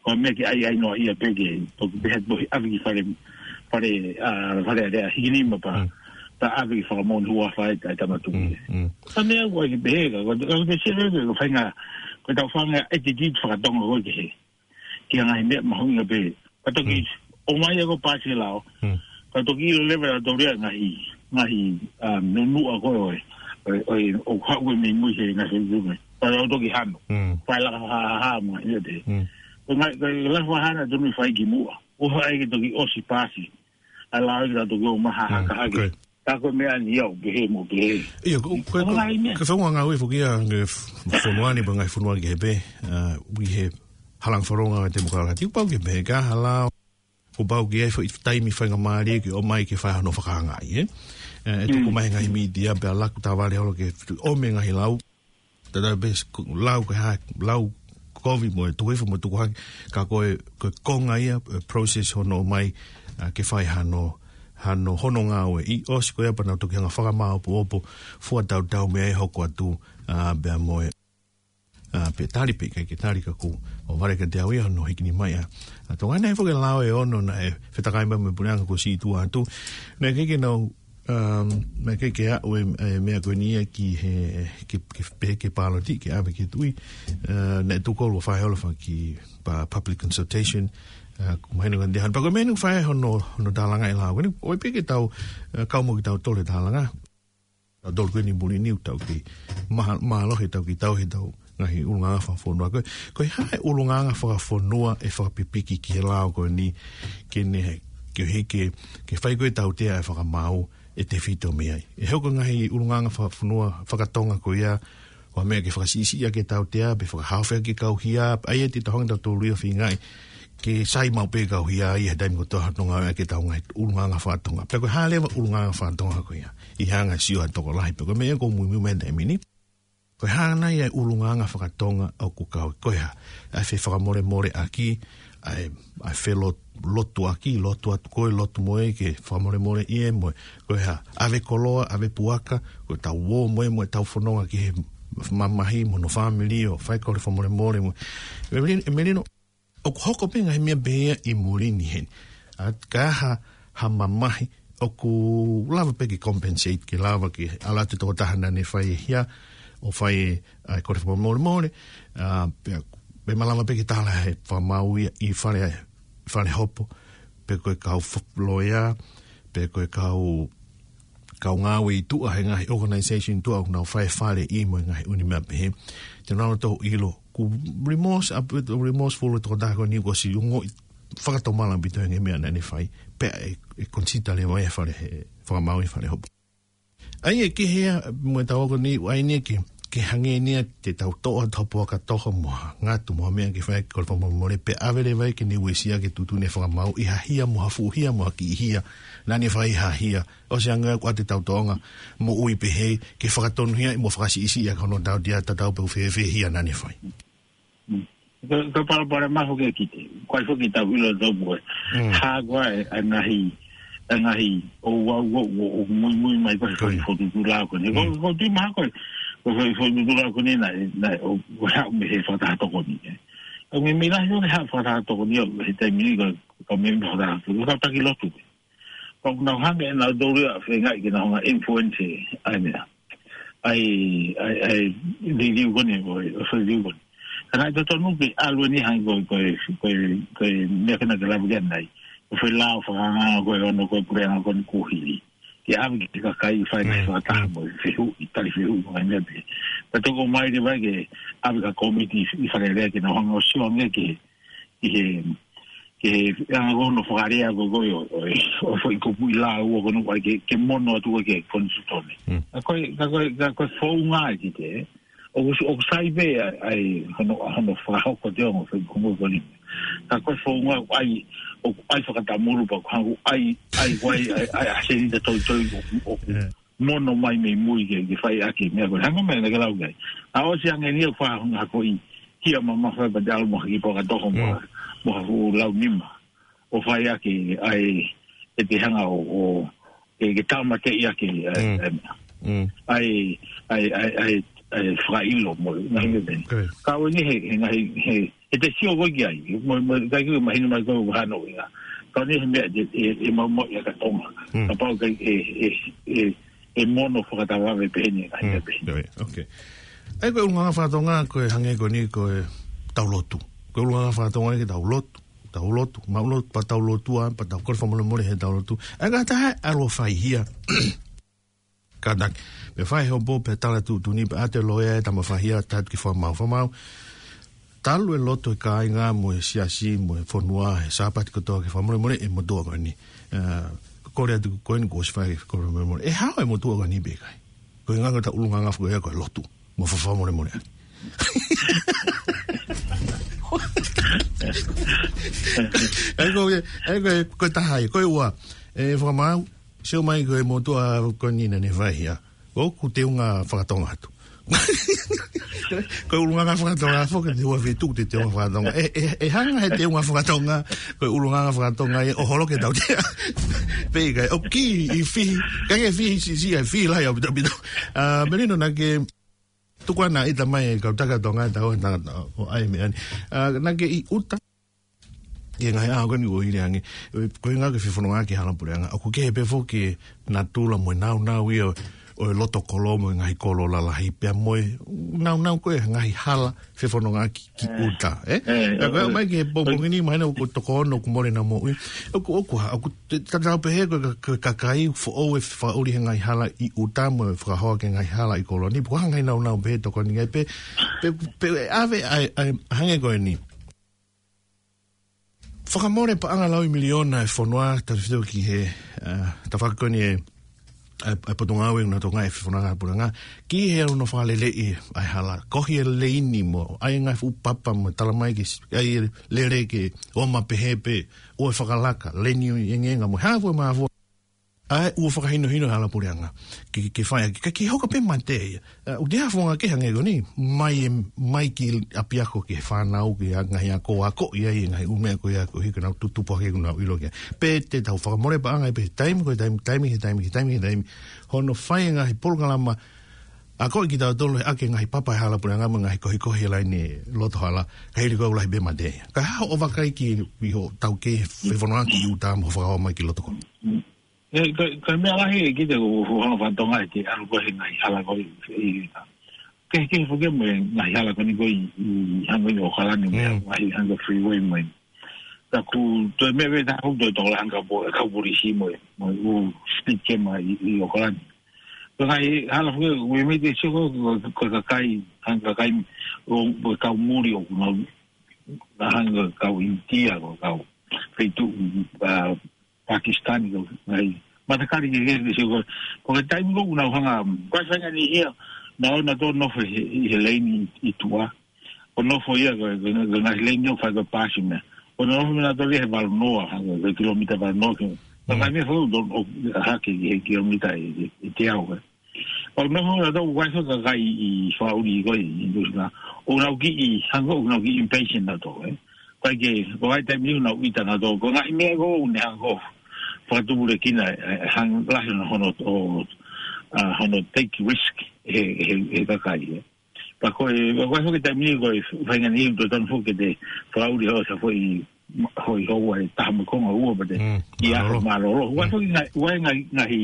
ko e meʻa ke ʻai, ʻai noa ia pē ke, toki pehē atu ʻave ki Fale, Fale, ʻa, Fale Alea, hiki nima pea, pea ʻave ki Fakamoʻoni Huafa ʻa e, ʻa e Tama Tuʻi. Ka meʻa ʻoku ʻai ke pehē, ka, ka, ka, ka, ka, ka, ka tau fanga e titi fakatonga ko ē ke he. Ki he ngaahi meʻa mahuʻinga pē. Ka toki, ʻomai ia ko e pasi lao. Ka toki ʻilo leva ʻe nautolu ia ngaahi, ngaahi, ʻa, nunuʻa ko ē, ʻo, ʻo, ʻo haʻu e mei mui he ngaahi ume. Ka lau toki hano. Fai laka ha, ha, ha, mo ia pē. Ko e ngaahi, ko e lahi fakahā naʻe tonu ke fai kimuʻa. ʻO haʻu ai ke toki ʻosi pasi. ʻA e lao ia ke tau toki ō mai ʻo hahaka hake. Ka ko e meʻa ni ia ʻoku pehē mo pehē. ʻIo, ko, ko, ko, ko e faʻunga ngāue foki ia ʻa e fonua ni, pea ngaahi fonua kehe pē, ʻa, ʻi he halanga fakalonga ʻa e temokalati. Kuo pau ke pehē ka hala, kuo pau ke ʻi ai foʻi taimi faingamālie ke ō mai ke fai hano fakaangaʻi, ē? ʻE, ʻe tuku mai ngaahi mītia pea laku tavale holo ke ō mai ngaahi lau. Tatau pē ko e lau ko e hā, lau kovi mo e tuku hifo mo e tuku hake, ka ko e, ko e konga ia, e process hono ō mai, ʻa, ke fai hano, hano hono ngāue ʻi ʻosi ko ia pea nau toki hanga fakamāopoopo, fua tautau meʻa ʻe hoko atu, ʻa, pea mo e, ʻa, pe tali pe ʻikai ke tali ka kuo ʻohovale kiate au ia hono hikini mai ʻa, ʻa Tonga. Naʻe foki e lao ʻe ono naʻe fetakai mai mo e puleʻanga kuo siʻi tuʻa atu. Naʻe ʻikai ke nau Um, naʻe ʻikai ke aʻu e, e meʻa ko eni ia ki he, ke, ke, pe ke pāloti, ke ʻave ki he tuʻi. Uh, naʻe tuʻu kolu ʻa Faiholo faki pa public consultation. Uh, kuo mahino ka ndehan. Pea ko e meʻa ni ʻoku fai hono, hono tālanga e lao. Ko eni, ʻoku ʻikai ke tau, uh, kau mo kitautolu he tālanga. Tautolu ko eni muli ni ʻoku tau kei maha-, mālohi ʻetau kiʻi tauhi ʻetau ngaahi ʻulungaanga fakafonua. Ko e, ko e hā e ʻulungaanga fakafonua ʻe fakapipiki ki he lao ko eni ke ne, ke hiki, ke fai ko e tautea ʻa e fakamaau ʻe tefito mei ai. ʻE hoko e ngaahi ʻulungaanga fakafonua fakatonga ko ia, ko e meʻa ke fakasiʻisiʻi ʻaki e tautea, pe fakahaofi ʻaki e kau hia, ʻa ia te tau hanga ʻe tautolu ia ʻo feingaʻi ke sai maʻu pē kau hia ʻi he taimi kotoa ʻi hono ngāueʻaki ʻetau ngaahi ʻulungaanga fakatonga. Pea ko e hā leva ʻulungaanga fakatonga ko ia ʻi he anga e sio ʻa e tokolahi. Pea ko e meʻa ʻoku ou muimui mai he taimi ni. Ko e hā nai ʻa e ʻulungaanga fakatonga ʻoku kau, ko e hā, ʻa e fefakamolemoleʻaki, ʻa e, ʻa e felot-, lotuʻaki, lotu atu koe, lotu mo ia ke fakamolemoleʻi ia mo ia. Ko e hā, ʻave koloa, ʻave puaka, ko ʻetau ō mo ia mo ʻetau fononga ki he mamahi mo hono fāmili ʻo fai kole fakamolemole mo ia. Melino, Melino, ʻoku hoko pē ngaahi meʻa pehē ia ʻi muli ni heni. ʻA, ka ha, ha mamahi, ʻoku lava pē ke compensate, ke lava ke ʻalu atu e tokotaha naʻa ne fai e hia, ʻo fai e, ʻa e kole fakamolemole, ʻa, pea, pea malava pē ke tala he fakamaau ia ʻi fale, fale hopo, pe ko e kau f-, loea, pe ko e kau kau ngāue ʻi tuʻa he ngaahi organization tuʻa ʻoku nau fai e faleʻi mo e ngaahi ʻū meʻa pehē. Te nau tō ʻilo. Ko e remorse, ʻa, remorseful e tokotaha ko eni kuo ʻosi ongoʻi fakatomala ʻaupito he ngaahi meʻa naʻa ne fai. Pea ʻe, ʻe consider leva ia he fale he, fakamaau ʻi fale hopo. ʻA ia ke hea mo e tau ako ni, ʻa ia ni ke, ke hangē ni ia te tau toʻo atu ha puaka toho mo ha ngatu mo ha meʻa ke fai ʻaki e kole fakamolemole pea ʻave leva ia ke ne uesia ke tuʻutuʻuni e fakamaau ʻi ha hia mo ha fuʻu hia mo ha kiʻi hia naʻa ne fai ha hia. ʻOsi ange ʻoku ʻoatu ʻetau tōʻonga moʻui pehē ke fakatonuhiaʻi mo fakasiʻisiʻi ʻaki hono tautea tatau pē ʻoku fēfē e hia naʻa ne fai. Mm. Ko, ko e palopalema foki ʻa e kite. Ko e foki tau ʻilo tau mo e. Mm. Hā ko ā e, e ngaahi, e ngaahi ʻo ua, ua, ua, ʻo muimui mai ko e foki fokotuʻutuʻu lao ko eni. Ko, mm, ko e tui maha ko e, ko e foki fokotuʻutuʻu lao ko eni naʻe, naʻe, ʻo, ʻo haʻu mei he fakataha tokoni, ē. Ka mei, mei lahi ʻo ne haʻu fakataha tokoni, ʻo, he taimi ni ko, ko mei fakataha tokoni, ko e taki lotu. Ka ʻoku nau hanga ʻe nautolu ia ʻo feingaʻi ke nau hanga ʻo influence ʻa e meʻa. ʻA e, ʻa e, ʻa e liliu ko eni, ʻo, ʻo e liliu ko eni. Ka naʻe totonu ke ʻalu eni hangē ko e, ko e, ko e, ko e meʻa ko ena ke lava ki ai ʻanenai. Ko e foʻi lao fakaanga ko ē ʻo hono ko e puleʻanga ko eni kuo hili. Ke ʻave ki he kakai fai ngaahi fakataha mo e fehuʻi, tali fehuʻi mo e meʻa pē. Ka toki ʻomai leva ke ʻave ki ha kōmiti ʻi Fale Alea ke nau hanga ʻo sio ange ki he, ki he, ki he anga ko hono fakalea ko ē ʻo, ʻo, ʻo e foʻi kupuʻi lao ko eni ʻoku ʻai ke, ke mono atu ko ē ki he konisitūtone. Mm. Ka ko e, ka ko e, ka ko e founga ē ki he, ʻoku, ʻoku sai pē ʻa e, ʻa e hono, hono fakahoko ʻa e ongo foʻi kupuʻi ko eni. Ka ko e founga ʻoku ʻai, ʻoku ʻai fakatamulu pea ʻoku hangē ʻoku ʻai, ʻai, ʻoku ʻai, ʻai, ʻai, ʻai senita toitoi ʻoku, ʻoku, yeah, mono mai mei mui ke, ke fai ʻaki e meʻa ko ē. Hangē ko e meʻa naʻa ke lau ki ai. ʻA, ʻosi ange eni ia ʻoku faʻa hanga ʻo hako ʻi hia mamafa pea te ʻalu mo ha kiʻi puaka toho mo, mm, ha, mo ha fuʻu lau nima. ʻO fai ʻaki ʻa e, ʻe te hanga ʻo, ʻo, ke, ke tāmateʻi ʻaki ʻa e, mm, ʻa e, mm, ʻa e, ʻa e, ʻa e, ʻa e, ʻa e fakaʻilo mo, mm, ngaahi meʻa pehē. Good. Ka ʻoku ʻi ai he, he ngaahi, he, he te sio koe ki ai, mo, mo, ʻikai ke mahino mai ko e hano ia. Ka ʻoku ʻi ai he meʻa ʻe, ʻe, ʻe maumauʻi ʻaki ʻa Tonga. Mm. Kapau ʻe, ʻe, ʻe, ʻe, ʻe mono fakatavave pehē ni, ʻa ia, mm, pehē ni. Right, okay. ʻA ia ko e ʻulungaanga fakatonga, ko e hangē ko eni ko e tau lotu. Ko e ʻulungaanga fakatonga eni ke tau lotu, tau lotu, maʻu lotu, pea tau lotua, pea tau kole fakamolemole he tau lotu. ʻA ia ka taha ʻalu ʻo fai hia. Kātaki, pea fai hopo, pea tala tuʻutuʻuni, pea ʻatu e loea ʻa e tama fai hia, tala atu ki he fakamaau, fakamaau. Talu e lotu e kāinga mo e siasi mo e fonua he Sāpate kotoa ke fakamolemole e motuʻa ko eni. Ā, kole atu ko eni kuo ʻosi fai e fakamolemole. ʻE hao e motuʻa ko eni pe ʻikai? Ko e ngaahi ʻulungaanga foki ia ko e lotu. Mo fakamolemole. ʻAi ko e, ʻai ko e, ko e taha ia, ko e ua. ʻE fakamaau, sio mai ko e motuʻa ko eni naʻa ne fai ia. ʻOku teunga fakatonga atu. Ko e ʻulungaanga fakatonga foki te ua fitu te teunga fakatonga. ʻE, ʻe, ʻe hanga he teunga fakatonga, ko e ʻulungaanga fakatonga ia ʻo holo ke tau tea. Pe ʻikai, ʻoku kiʻi fihi, ka ke fihi si, si, ʻe fihi lahi ʻaupito. Ā, Melino naʻa ke tuku ʻa e ʻita mai e kau taka Tonga, tau ʻa e tangata ʻo ʻai meʻa ni. Ā, naʻa ke ʻi ʻuta. ʻI he ngaahi ʻaho ko eni ʻoku ʻi ai ange, ʻo, ko e ngaahi fefonongaʻaki hala puleʻanga, ʻoku kehe pē foki e natula mo e naunau ia ʻo, ʻo e loto kolo mo e ngaahi kolo lalahi pea mo e naunau ko e ngaahi hala fefonongaʻaki ki ʻuta, ē? Ka ko e mai ki he pongipongi ni, mahalo ʻoku toko ono ʻoku mole ʻenau moʻui. ʻOku, ʻoku hā, ʻoku te, tatau pē he ko e ka, ka, kakai foʻou ʻe fakaʻuli he ngaahi hala ʻi ʻuta mo e fakahoa ki he ngaahi hala ʻi kolo ni. Pea ko e hā e ngaahi naunau pē he tokoni ngāue pē, pē, pē ʻe ʻave ʻa e, ʻa e, hangē ko eni. Fakamole paʻanga laui miliona e fonua, tau fito ki he, ā, tafaʻaki ko eni e, ʻa e, ʻa e potungāue ʻoku nau tokangaʻi e fefonongaʻaki hala puleʻanga, ki he ʻalu ʻo fakaleleʻi ʻa e hala, kohi e leini mo, ʻai e ngaahi fuʻu papa mo, tala mai ke s-, ʻai e lele ke ʻomai pehē pē, ʻoua ʻe fakalaka, leini ʻo e ngaahi ngaahi mo, hā fua mā fua. ʻA e ʻoua fakahinohino hala puleʻanga. Ke, ke fai ʻaki, ka ke hoko pē mate ia. Ā, ʻoku te hafonga ke hangē ko eni, mai e, mai ki ʻapiako ki he fānau ki he ngaahi ako, ako ia ʻi he ngaahi ʻū meʻa ko ia ko hiko nau tutupu hake ko nau ʻilo ki ai. Pea te tau fakamole paʻanga ʻi he taimi, ko e taimi, taimi, he taimi, he taimi, he taimi. Hono fai e ngaahi polokalama, ʻa ko e kitautolu he ʻaki e ngaahi papa e hala puleʻanga mo e ngaahi kohikohi e laine loto hala, ka hili ko e lahi pē mate ia. Ka hā hoʻo vakai ki, ʻi hoʻo taukei he fefonongaʻaki ʻi ʻuta mo fakahoa mai ki loto kolo. ʻE, ko, ko e meʻa lahi ʻe kita ʻoku, ʻoku hanga fakatonga ʻe te ʻalu ko ē he ngaahi hala ko ē ʻi, ʻi, ke, ke foki mo e ngaahi hala ko eni ko ē ʻi, ʻi hangē ʻi ʻOkalani mo e ngaahi hangē freeway mo e. Ka ʻoku toe meʻa pē taha ʻoku toe tokolahi hangē ko e kau polisi mo e, mo e ʻū speed camera ʻi, ʻi ʻOkalani. Ko e ngaahi hala foki, ʻoku ʻi ai e meʻa te sio ko, ko, ko e kakai, hangē kakai ʻo, ʻo e kau muli ʻoku nau, hangē kau ʻInitia, ko e kau feituʻu, ā, Pakistan ko e ngaahi matakali kehekehe ke sio ko, ko e taimi ko ē ʻoku nau hanga, ko e faingamālie ia, naʻa nau toe nofo he, he leini ʻi tuʻa. ʻO nofo ia ko, ko, ko e ngaahi leini ʻoku fai ko e pasi meʻa. ʻO nau nofo meʻa nau toe he valu noa, ha, ko e kilomita valu noa ke. Ka fai meʻa fau to, ʻo hake ki he kilomita ʻe, ʻe, ʻe teau ko ē. ʻO nofo nautolu ʻoku ʻi ai e kakai ʻi fakaʻuli ko ē ʻi Nuʻusila. ʻOku nau kiʻi, hangē ʻoku nau kiʻi impatient nautolu, ē. Ko e ke, ko e taimi ʻoku nau ʻita nautolu. Ko e ngaahi meʻa ko ē ʻoku ne hanga ʻo fakatupulekina, ē, hangē lahi hono, hono, ʻo, ā, hono take risk he, he, he kakai, ē. Pea ko e, ko e foki taimi ko e faingamālie ʻoku totonu foki ke te fakaʻuli hoʻo sa foʻi, foʻi houa ʻe taha mo e konga ua pea te ʻi ai e mālōlō. Mālōlō. Ko e foki ngaahi, ko e ngaahi, ngaahi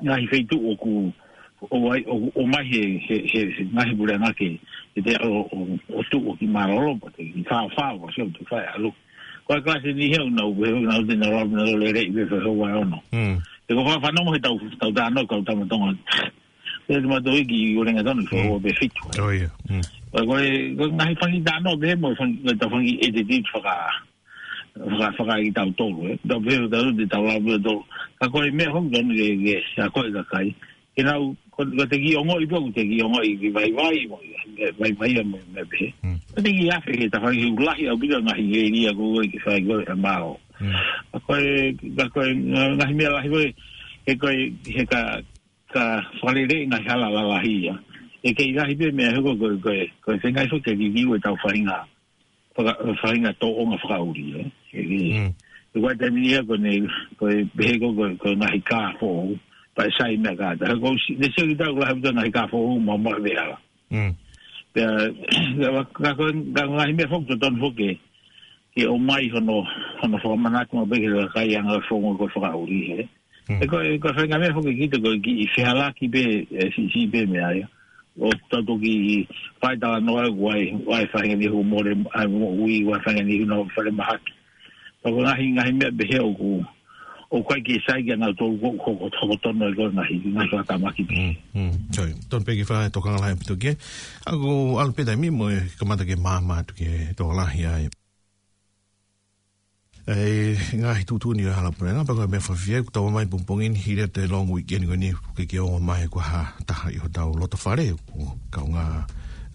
ngaahi feituʻu ʻoku, ʻo ai, ʻo, ʻomai he, he, he, he ngaahi puleʻanga ke, ke te ʻalu ʻo, ʻo, ʻo tuʻu ʻo kiʻi mālōlō pea te kiʻi faofao, ʻo sio te fai ʻalu. Ko e kalasi ni he ʻoku nau, he ʻoku nau te nau lava, nau lele ʻi he fai houa ʻe ono. He ko e fakafanongo he tau, tau talanoa, kau tama Tonga. He te mātou ʻi ki ʻUlenga Tonu, fai houa pē fitu. Ko e, ko e ngaahi fanga talanoa pē mo e fanga, ko e tau fanga ʻetititi faka, faka, faka ʻi tautolu, ē. Tau pehē, tau te tau lau pē tau. Ka ko e meʻa hou tonu ke, ke, ʻa ko e kakai. Ke nau, ko, ko te kiʻi ongoʻi pē, ko te kiʻi ongoʻi ki vaivai, mo, vaivai ia mo, mo pehē. Ko te kiʻi afe ke ta fai hiu lahi ʻaupito ngaahi ʻēlia ko ē ke fai ko ē ʻa mālō. ʻA ko e, ka ko e, ngaahi meʻa lahi ko ē, he ko e, he ka, ka fakalele ngaahi hala lalahi ia. ʻE kei lahi pē meʻa he ko, ko, ko, ko e fengai fo ke kikiu e tau fainga. Faka-, fainga tōʻonga fakaʻuli, ē. ʻE, ʻe, ʻe ko e taimi ia ko eni, ko e pehē ko, ko, ko e ngaahi kā foʻou, pea ʻe sai meʻa kātaki. Ko si, ne sio ki tau lahi ʻaupito ngaahi kā foʻou, mo, mo e veʻe hala. Pea, ka, ka ko, ka ngaahi meʻa foki totonu foki, ke ʻomai hono, hono fakamanatu maʻu pē ki he kakai anga fongo ko e fakaʻuli, ē. ʻE ko, ʻe ko e faingamālie foki kita ko e kiʻi fehalaki pē, ē, siʻisiʻi pē meʻa ia. ʻO tau toki fai talanoa ʻoku ʻi ai, ʻi ai e faingamālie ʻoku mole, ʻa e moʻui, ʻi ai e faingamālie ʻoku nau falemahaki. Ka ko e ngaahi, ngaahi meʻa pehē ʻoku, ʻOku ʻikai ke sai ke nau tō ko, ko, ko, ko tonu ai ko e ngaahi, ngaahi fakatamaki. Mm, mm. Sorry. Tonu pē ki he fakatokanga lahi ʻaupito ki ai. ʻOku ʻalu pē taimi mo e kamata ke maama atu ki he tokolahi ai. ʻE, ngaahi tuʻutuʻuni ʻa e hala puleʻanga, pea ko e meʻa fakafiefia, kuo tau ō mai pongipongi ni, hili atu e long weekend ko eni, ke ke ongo mai ko ha taha ʻi hotau loto fale, ʻoku kaungā,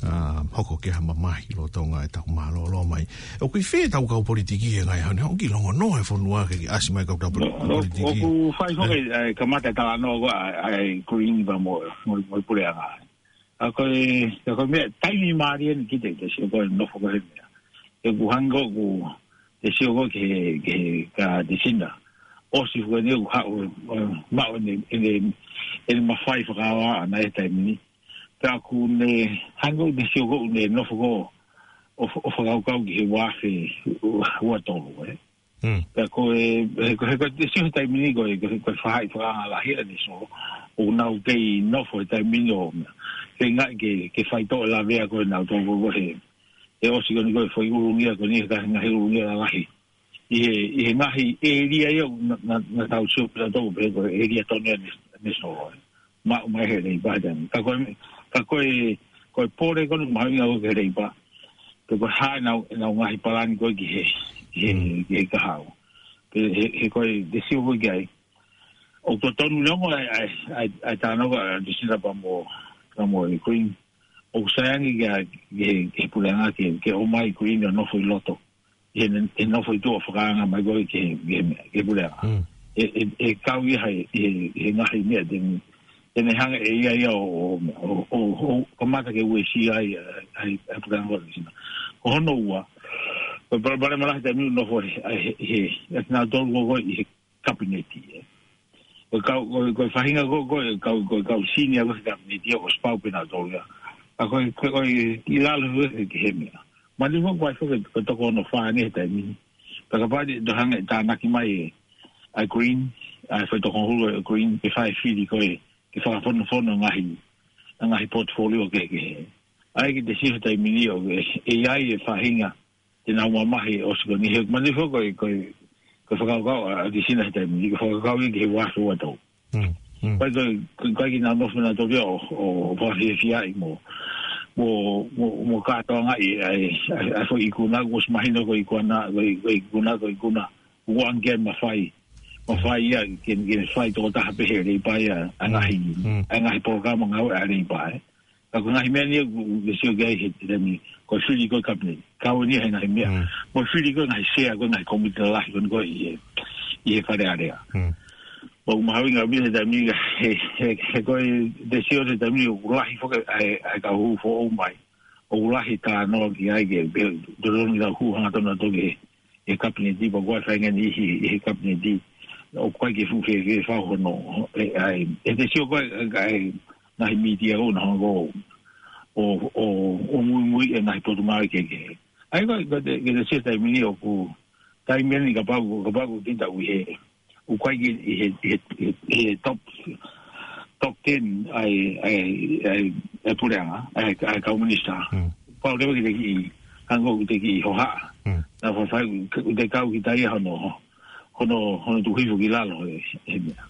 ʻa, hoko ke ha mamahi lolotonga ʻetau mālōlō mai. ʻOku ʻi fē ʻetau kau politiki he ngaahi ʻaho ni, ʻoku kiʻi longonoa e fonua ke kiʻi ʻasi mai kau tau poli-, ʻO, politiki. ʻOku fai foki, ʻe, kamata e talanoa ko ē, ʻa e, ʻa e Green pea mo, mo, mo e puleʻanga. ʻA ko e, ʻa ko e meʻa, taimi mālie eni ki he, te sio ko e nofo ko e meʻa. ʻOku hangē ko ē, te sio ko e ki he, ki he ka te sina. ʻOsi ko eni ʻoku haʻu, ʻe, maʻu ʻene, ʻene, ʻene mafai fakaava ʻana he taimi ni. Pea ʻoku ne, hangē ko e te sio ko ʻene nofo ko ē, ʻo, ʻo fakakaukau ki he ua afe ua tolu, ē. Mm. Pea ko e, he ko e, he ko e te sio he taimi ni ko e, ko e, ko e faʻahi fakaanga lahi ʻa e te sio, ʻoku nau kei nofo he taimi ni ʻo, ke ngaahi ke, ke faitoʻo e lavea ko ē naʻa nau tō ko ē he, ʻe ʻosi ko eni ko e foʻi ulungia ko eni he ka ngaahi ulungia lalahi. ʻI he, ʻi he ngaahi ʻēlia ia naʻa, naʻa, naʻa tau sio pē ʻa tō pē ko e ʻēlia tonu ia ne, ne solo. Maʻu mai he Leipa tani. Ka ko e, ka ko e, ko e pole ko eni mahalo ia ʻoku he Leipa. Pe ko e hā ʻenau, ʻenau ngaahi palani ko ē ki he, ki he, Mm. ki he kahaʻu. Pe he, he ko e te sio ko ē ki ai. ʻOku totonu neongo ʻa e, ʻa e, ʻa e, ʻa e talanoa ko ē ʻa Lucinda pea mo, pea mo e Green. ʻOku sai ange ki he, ki he, ki he puleʻanga ke, ke ʻomai Green ʻo nofo ʻi loto. ʻI he, ʻi he nofo ʻi tuʻa fakaanga mai ko ē ki he, ki he, ki he puleʻanga. Mm. ʻE, ʻe, ʻe kau ia he, he, he ngaahi meʻa te ne, te ne hanga ʻe ia ia ʻo, ʻo, ʻo, ʻo, ʻo kamata ke uesia ai, ʻa e, ʻa e, ʻa e puleʻanga ko ē Lucinda. Ko hono ua, ko e palopalema lahi taimi ʻoku nofo he, he, he, he, naʻa nau tō ko ē ʻi he kapineti, ē. Ko e kau, ko e, ko e faʻahinga ko ē, ko e kau, ko e kau senior ko ē he kapineti, ʻoku ʻosi pau pē naʻa nau tō ia. ʻA ko e, ko e, ko e ʻi lalo he, he, he meʻa. Manatuʻi foki ko e, ko e toko hono fā eni he taimi ni. Pea kapau te, te hanga ʻe tānaki mai ʻe, ʻa e Green, ʻa e foʻi toko hulu ʻa e Green, ke fai fili ko ē, ke fakafonofono ngaahi, ngaahi portfolio kehekehe. ʻA ia ke te sio he taimi ni ʻoku, ʻe, ʻe ʻi ai e faʻahinga, te nau mamahi ʻosi ko eni he, manatuʻi foki ko e, ko e, ko e fakakaukau ʻa, ʻa Lucinda he taimi ni, ko e fakakaukau ia ki he ua afe ua tolu. Mm, mm. Ko e, ko e, ko e, ko e ke nau nofo naʻa nau tō ia ʻo, ʻo, ʻo fakafiefiaʻi mo, mo, mo, mo kātoangaʻi ʻa e, ʻa e, ʻa e foʻi ikuna, kuo ʻosi mahino ko e ikuna, ko e, ko e ikuna, ko e ikuna. Kuo ʻoange mafai. Mafai ia, ke, ke fai tokotaha pē he Leipa ia, ʻa e ngaahi, Mm. ʻa e ngaahi polokalama ngāue ʻa e Leipa, ē. Ka ko e ngaahi meʻa ni ʻoku, ʻoku te sio ki ai he, he taimi, ko e fili ko ē kapineti. Kau eni he ngaahi meʻa. Mm. Mo e fili ko ē ngaahi sea, ko e ngaahi komiti lalahi, ko eni ko ē ʻi he, ʻi he Fale Alea. Mm. ʻOku mahuʻinga ʻaupito he taimi ni, he, he, he ko e te sio he taimi ni, ʻoku lahi foki ʻa e, ʻa e kau hū foʻou mai. ʻOku lahi talanoa ki ai ke, ke, tolongi lau hū hangatonu atu ki he, he kapineti, pea ko e faʻahinga niʻihi ʻi he kapineti, ʻoku ʻikai ke fuʻu fēfē fau hono, ʻe, ʻa e, ʻe te sio ko ē, ʻa e, ngaahi mītia ʻoku nau hanga ʻo, ʻo, ʻo, ʻo muimui e ngaahi potungāue kehekehe. ʻA ia ko e, ko e te, ke te sio taimi ni ʻoku, taimi ni kapau, kapau ʻoku te tau ʻi he, ʻoku ʻikai ke ʻi he, he, he, he top, top ten ʻa e, ʻa e, ʻa e, ʻa e puleʻanga, ʻa e, ʻa e kau minisitā. Mm. Pau leva ke te kiʻi, hangē ʻoku te kiʻi hohaʻa. Mm. Naʻa faifai, ʻoku te kau ki tai hono, hono, hono tuku hifo ki lalo he, he meʻa.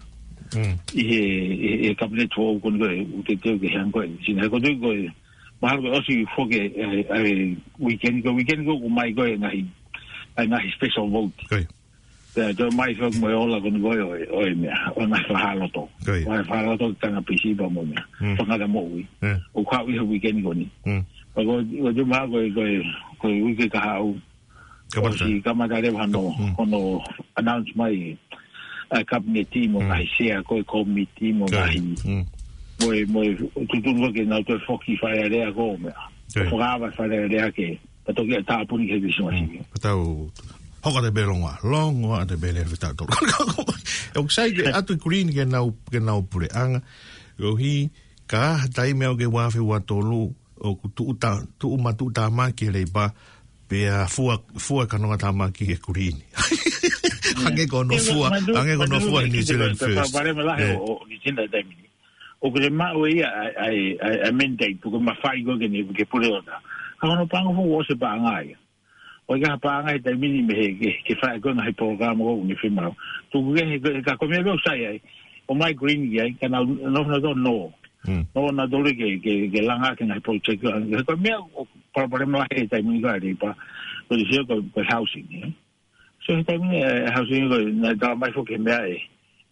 Mm. ʻI he, he, he kapineti foʻou ko eni ko ē, ʻoku te teu ke hanga ko ē. Sina he ko e tui ko ē, mahalo ko e ʻosi foki ʻa e, ʻa e weekend ko ē, weekend ko ē ʻoku mai ko ē ngaahi, ʻa e ngaahi special vote. Ko ia. Pea toe mai foki mo e ola ko eni ko ē ʻo e, ʻo e meʻa, ʻo e ngaahi fakahā loto. Ko ia. ʻO e fakahā loto ki he kau pisipa mo e meʻa. Mm. Fakahā moʻui. Yeah. ʻOku haʻu ʻi he weekend ko eni. Mm. Pea ko, ko e tui mahalo ko e, ko e, ko e uike kahaʻu. Kamata. ʻOsi kamata leva hono, Mm. hono announce mai ʻa e kapineti mo Mm. ngaahi sea ko ē komiti mo Ko ia. ngaahi. Mm. Mo e, mo e tuʻutuʻuni ko ē ke nau toe foki Fale Alea ko e meʻa. Ko ia. Fakaava Fale Alea ke, pea toki ʻa e tāpuni ke he Kilisimasi. Mm. Pea tau hoko atu pē longoaʻa, longoaʻa atu pē lele fetau tolu. ʻOku sai ke ʻatu e Green ke nau, ke nau puleʻanga. ʻOku ʻi ai ha taimi ʻo e ua afe ua tolu, ʻoku tuʻu tā-, tuʻu matuʻutāmaki e Leipa, pea fua, fua e kanongatāmaki ki he Green. Hangē ko hono fua, hangē ko hono fua New Zealand First. Pea pale malahi Yeah. ʻo, ʻo New Zealand taimi ni. ʻOku te maʻu ia ʻa, ʻa, ʻa, ʻa e mandate, ʻoku mafai ko ē ke ne, ke pule ʻo tā. Ka hono pango fua ʻosi e paʻanga ia. ʻOku ʻikai ha paʻanga he taimi ni mei he, ke, ke fai ko e ngaahi polokalama ko eni fiemaʻu. Tuku ke he, he ka ko e meʻa ʻoku sai ai. ʻOmai Green ki ai, ka nau, nau, nau, nau, nau. Mm. Nau, nau tolu ke, ke, ke langa ki he ngaahi project ko ē. Ko e meʻa ʻoku palopalema lahi he taimi ni ko e Leipa. Ko e sio ko e, ko e housing, ē. So he taimi ni, ē, housing ko e, naʻe talamai foki he meʻa ē.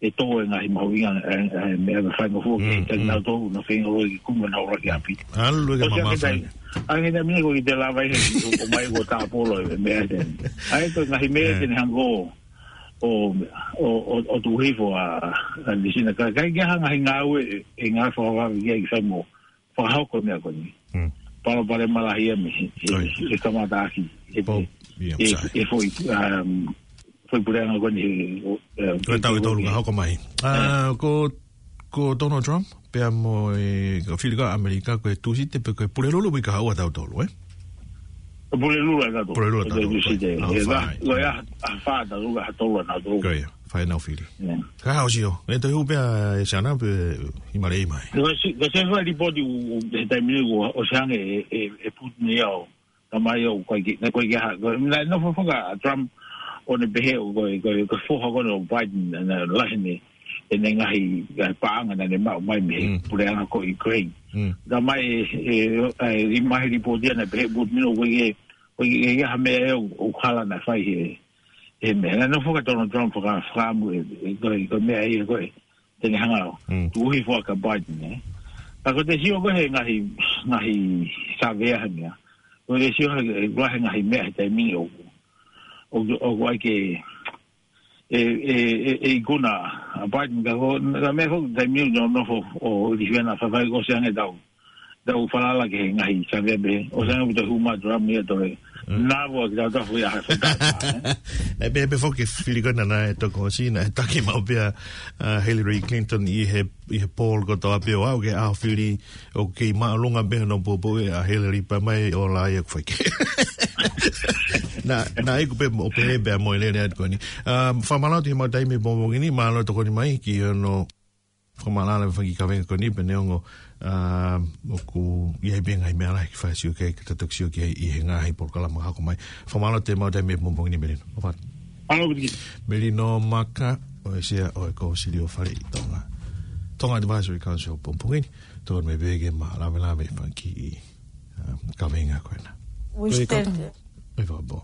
ʻE tō e ngaahi mahuʻinga, ē, ē, meʻa ʻe faingofua ki he, mm, taimi nau tō, nau feinga ʻo ʻikai kumi ʻenau ʻuluaki ʻapi. ʻAlu e ke mafa. Ko e taimi ni, ʻa e taimi ni ko e te lava ʻi he, ʻomai ko e tāpolo e meʻa ē. ʻA e ko e ngaahi meʻa ē, ē, te ne hanga ʻo, ʻo, ʻo, ʻo tuʻu hifo ʻa, ʻa Nisina. Ka, ka ʻikai ke ʻi ai ha ngaahi ngāue, ʻe ngāue fakavave ki ai ke fai mo fakahoko e meʻa ko eni. Mm. Palopalema lahi ia mei he, he, ʻoi, he kamataʻaki. He, pau, he, ia, he, sai, he foʻi, um, foʻi puleʻanga ko eni, he, um, ko e taʻu ʻe tolu ka hoko mai. Ē. Ah, ko, ko Donald Trump, pea mo e, ko e fili ko ē ʻa ʻAmelika, ko e Tūsite, pe ko e Pulelulu ʻoku ʻikai haʻu ʻa tautolu, ē? Pulelulu ʻa tautolu. Pulelulu ʻa tautolu. Ko e Tūsite. Oh, ē, fine. Ko e ʻa, ʻa fā tautolu, ʻa tolu ʻa tautolu. Ko ia. Fai nau fili. Yeah. Ka hao sio. ʻE toe hū pea ʻe Siana pe ʻi Maleimai. Ko e si-, ko e se fai lipoti ʻu, ʻu, he taimi ni ʻoku ʻosi hanga ʻe, ʻe, ʻe Putin ia ʻo, tamai ʻo ko e ki, naʻe ko e ki ha, ko e, naʻe nofo foki ʻa Trump ʻo ne pehē ʻoku ko e, ko e, ko e foha ko eni ʻo Biden, naʻe lahi ʻene, ʻene ngaahi, ngaahi paʻanga naʻa ne maʻu mai mei he, mm, puleʻanga ko Ukraine. Mm. Tamai ʻe, ʻe, ʻe, ʻi he ngaahi lipoti ia naʻe pehē Putin ʻoku ko e, ko e, ko e ki ha meʻa ʻoku, ʻoku hala naʻe fai he, he meʻa. Naʻe nofo foki ʻa Donald Trump faka-, fakaʻamu ē, ē, ko e, ko e meʻa ia ko ē te ne hanga ʻo, mm, tuʻu hifo ʻa Biden, ē. Ka ko e te sio ko ē he ngaahi, ngaahi savea he meʻa. Ko e te sio he, he, ko e he ngaahi meʻa he taimi ni ʻoku, ʻoku, ʻoku ʻai ke, ʻe, ʻe, ʻe, ʻe ikuna ʻa Biden ka ko, ka meʻa ko e taimi ni ʻoku nofo ʻo ʻi he fena fafai ko ʻosi ange tau. Tau falala ki he ngaahi savea pē. ʻOsi ange ʻoku toe hū mai Trump ia toe. Mm. Nava ki tau tafu ia ha feta, ē? ʻE pē, pē foki fili ko ena naʻe toko ʻosi naʻe taki maʻu pē ʻa, ʻa Hillary Clinton ʻi he, ʻi he poll kotoa pē ʻo aʻu ki he ʻaho fili ʻoku kei māʻolunga pē hono poupou ʻa Hillary pea mai ʻo la ia ʻoku fai kehe. Naʻa, naʻa ʻikai pē mo, pē pē mo e lele atu ko eni. Um, fakamālō atu he mau taimi he pongipongi ni, mālō tokoni mai ki hono fakamālō ʻa e fanga kiʻi kaveinga ko eni pea neongo, ah, ʻoku ʻi ai pē ngaahi meʻa lahi ke fai ha sio ki ai, ka tau toki sio ki ai ʻi he ngaahi polokalama ka hoko mai. Fakamālō atu he mau taimi he pongipongi ni Melino. ʻOfa atu. Mālō Viki. Melino Maka, ʻo e Sea ʻo e Kōsilio Faleʻi Tonga. Tonga Advisory Council pongipongi ni, tokoni mai pē ke ma lavelave fanga kiʻi, ah, kaveinga ko ena. Ko e kau, ʻe fakapō.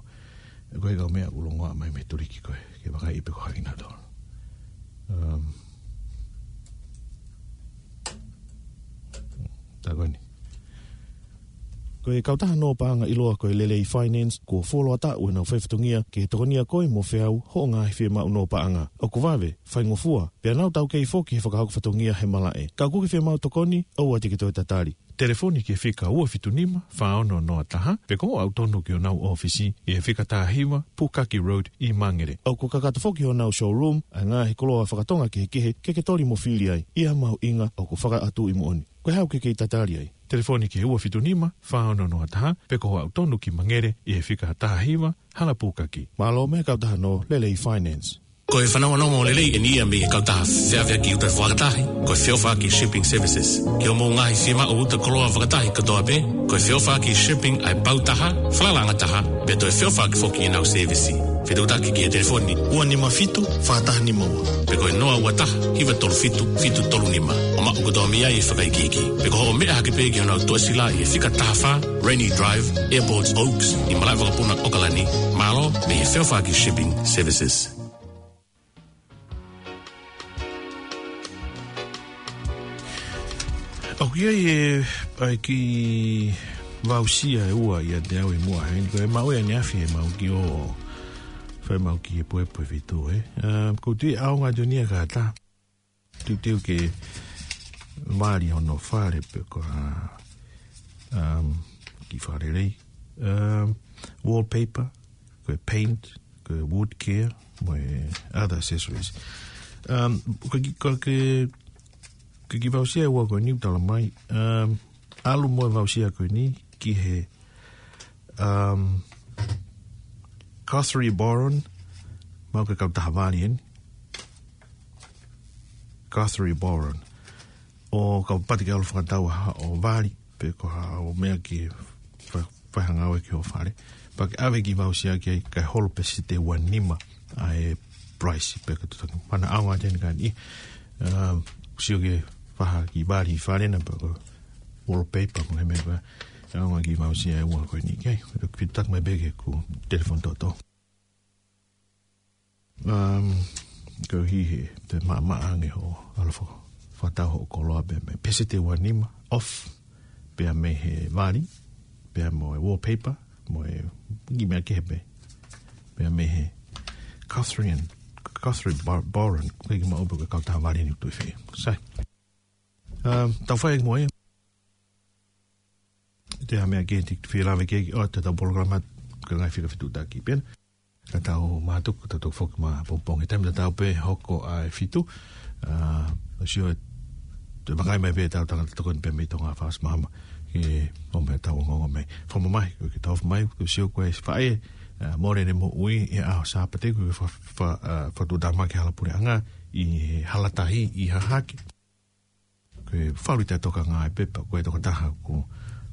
Ko e kau meʻa ʻoku longoaʻa mai mei Tuliki ko ē, ke vakai pe ko hai kinautolu. Um, tā ko eni. Ko e kautaha nō paʻanga ʻiloa ko e Lelei Finance, kuo fuoloa taʻu ʻenau fai fatongia ke tokonia koe mo feau hoʻo ngaahi fiemaʻu nō paʻanga. ʻOku vave, faingofua, pea nau taukei foki he fakahoko fatongia he malaʻe. Ka ʻoku ke fiemaʻu tokoni, ʻoua te ke toe tatali. Telefoni ki he fika ua fitu nima, fā ono noa taha, pe ko hoʻo aʻu tonu ki honau ʻōfisi ʻi he fika taha hiva, Pukaki Road ʻi Mangere. ʻOku kakato foki honau showroom ʻa e ngaahi koloa fakatonga kehekehe ke ke toli mo fili ai, ʻi ha mahuʻinga ʻoku fakaʻatuʻi moʻoni. Ko e hā ʻoku ke kei tatali ai? Telefoni ki he ua fitu nima, fā ono noa taha, pe ko hoʻo aʻu tonu ki Mangere ʻi he fika taha hiva, Hala Pukaki. Mālō mei he kautaha nō Lelei Finance. Ko e fanongonongo lelei eni ia mei he kautaha feʻaveʻaki uta fakatahi, ko e Feʻofaʻaki Shipping Services. Ki hoʻomou ngaahi fiemaʻu uta koloa fakatahi kotoa pē, ko e Feʻofaʻaki Shipping ʻa e pau taha, falalaʻanga taha, pea toe feʻofaʻaki foki ʻenau sēvisi. Fetuʻutaki ki he telefoni ua nima fitu, fā taha nima ua, pe ko e noa ua taha, hiva tolu fitu, fitu tolu nima. ʻO maʻu kotoa mei ai e fakaikiiki. Pe ko hoʻo meʻa hake pē ki honau tuʻasila ʻi he fika taha fā, Rainy Drive, Airport Oaks, ʻi malaʻe vakapuna ʻAokalani. Mālō mei he Feʻofaʻaki Shipping Services. ʻOku ʻi ai e, ʻa e kiʻi voucher ʻe ua ʻiate au ʻi muʻa heni, ko e maʻu ia ʻaneafi he mau kiʻi ō, fai mau kiʻi puepuefitu, ē. Um, ʻoku ou tui ʻaonga atu eni ia kātaki. Teuteu ke vali hono fale pe ko ha, um, kiʻi fakalelei. Um, wallpaper, ko e paint, ko e wood care, mo e other accessories. Um, ko e kiʻi, ko e kiʻi, ko e kiʻi voucher ʻe ua ko eni ʻoku talamai. Um, ʻalu mo e voucher ko eni ki he, um, Guthrie Boron, maʻu ʻe he kautaha vali eni. Guthrie Boron. ʻO kapau te ke ʻalu fakatau ha ʻo vali, pe ko ha ʻo meʻa ke fa-, fai ha ngāue ki hoʻo fale. Pea ke ʻave ki voucher ki ai kae holo pē site ua nima ʻa e price pē ka tutaki. Mana ʻaonga ʻeni ka ni. Um, sio ke faha ki vali fale na pea ko wallpaper mo he meʻa pē. ʻAonga ki voucher ʻe ua ko eni ki ai. Ko e fitutaki mai pē ke ku telefoni toto. Um, ko hihi, te maʻamaʻa ange ho, ʻalu fo, fakatau hoʻo koloa pē mei he pēseti ua nima, off, pea mei he vali, pea mo e wallpaper, mo e ngi meʻa kehe pē, pea mei he Catherine, Catherine Bar-, Boran, ko e ki maʻu pē ko e kautaha vali ni tui fē. Sai. Um, tau fai mo e. Te ha meʻa ke te fie lave ke, ʻo, te tau polokalama, ka ngai fika fitutaki pē. Ka tau mātuku, tau toki foki mā pongipongi. Taimi tatau pē hoko ʻa e fitu. Ah, ʻo sio e, te makai mai pē tau tangata tokoni pē mei Tonga Fast Mama. Ke ʻomai tau ongoongo mai. Fakamamahi, ko ke tau mai, ko sio ko e faʻē, ah, mole ʻene moʻui, ʻi he ʻaho Sāpate, ko e fa-, fa-, ah, fatuʻutāmaki hala puleʻanga, ʻi he hala tahi, ʻi Hahake. Ko e falu te toka ngāue pē pea ko e tokotaha ko,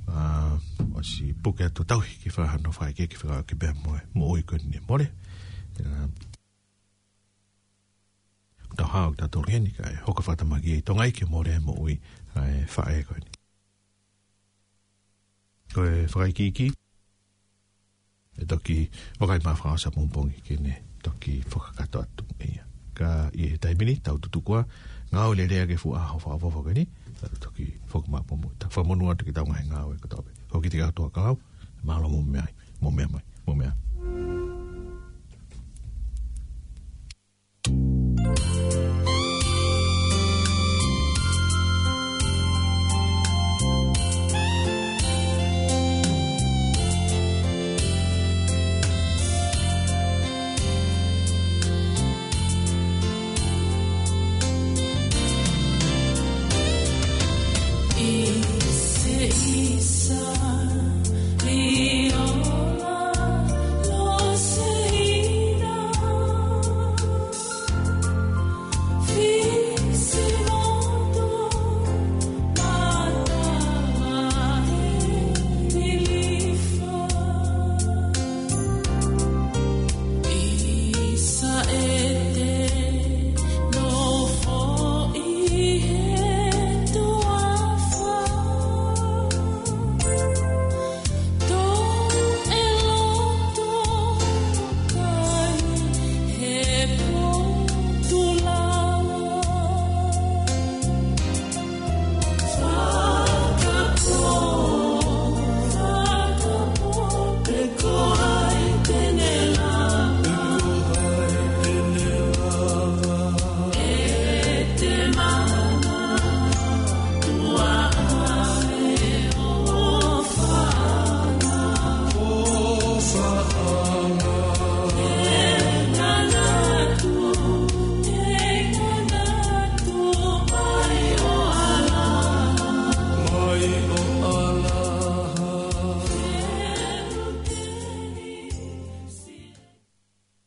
ah, ʻosi puke atu tauhi ke fakahano fai ke, ke faka-, ke pea mo e, moʻui ko eni mole. Ah, tau hao ki tautolu heni kae hoko fakatamaki ʻi Tonga ʻi he mole moʻui ʻa e faʻē ko eni. Ko e fakaikiiki, ʻe toki vakai mā fakaʻosi ʻapongipongi ke ne toki fakakakato atu ia. Ka ʻi he taimi ni, tau tutuku ā, ngāue lelei ange fuʻu ʻaho fakaʻofoʻofa ko eni, tau toki foki mā pongipongi. Tau fakamonū atu ki heʻetau ngaahi ngāue kotoa pē. Ko e kiʻi teka atu ā ka lau, mālō mo meʻa, mo meʻa mai, mo meʻa.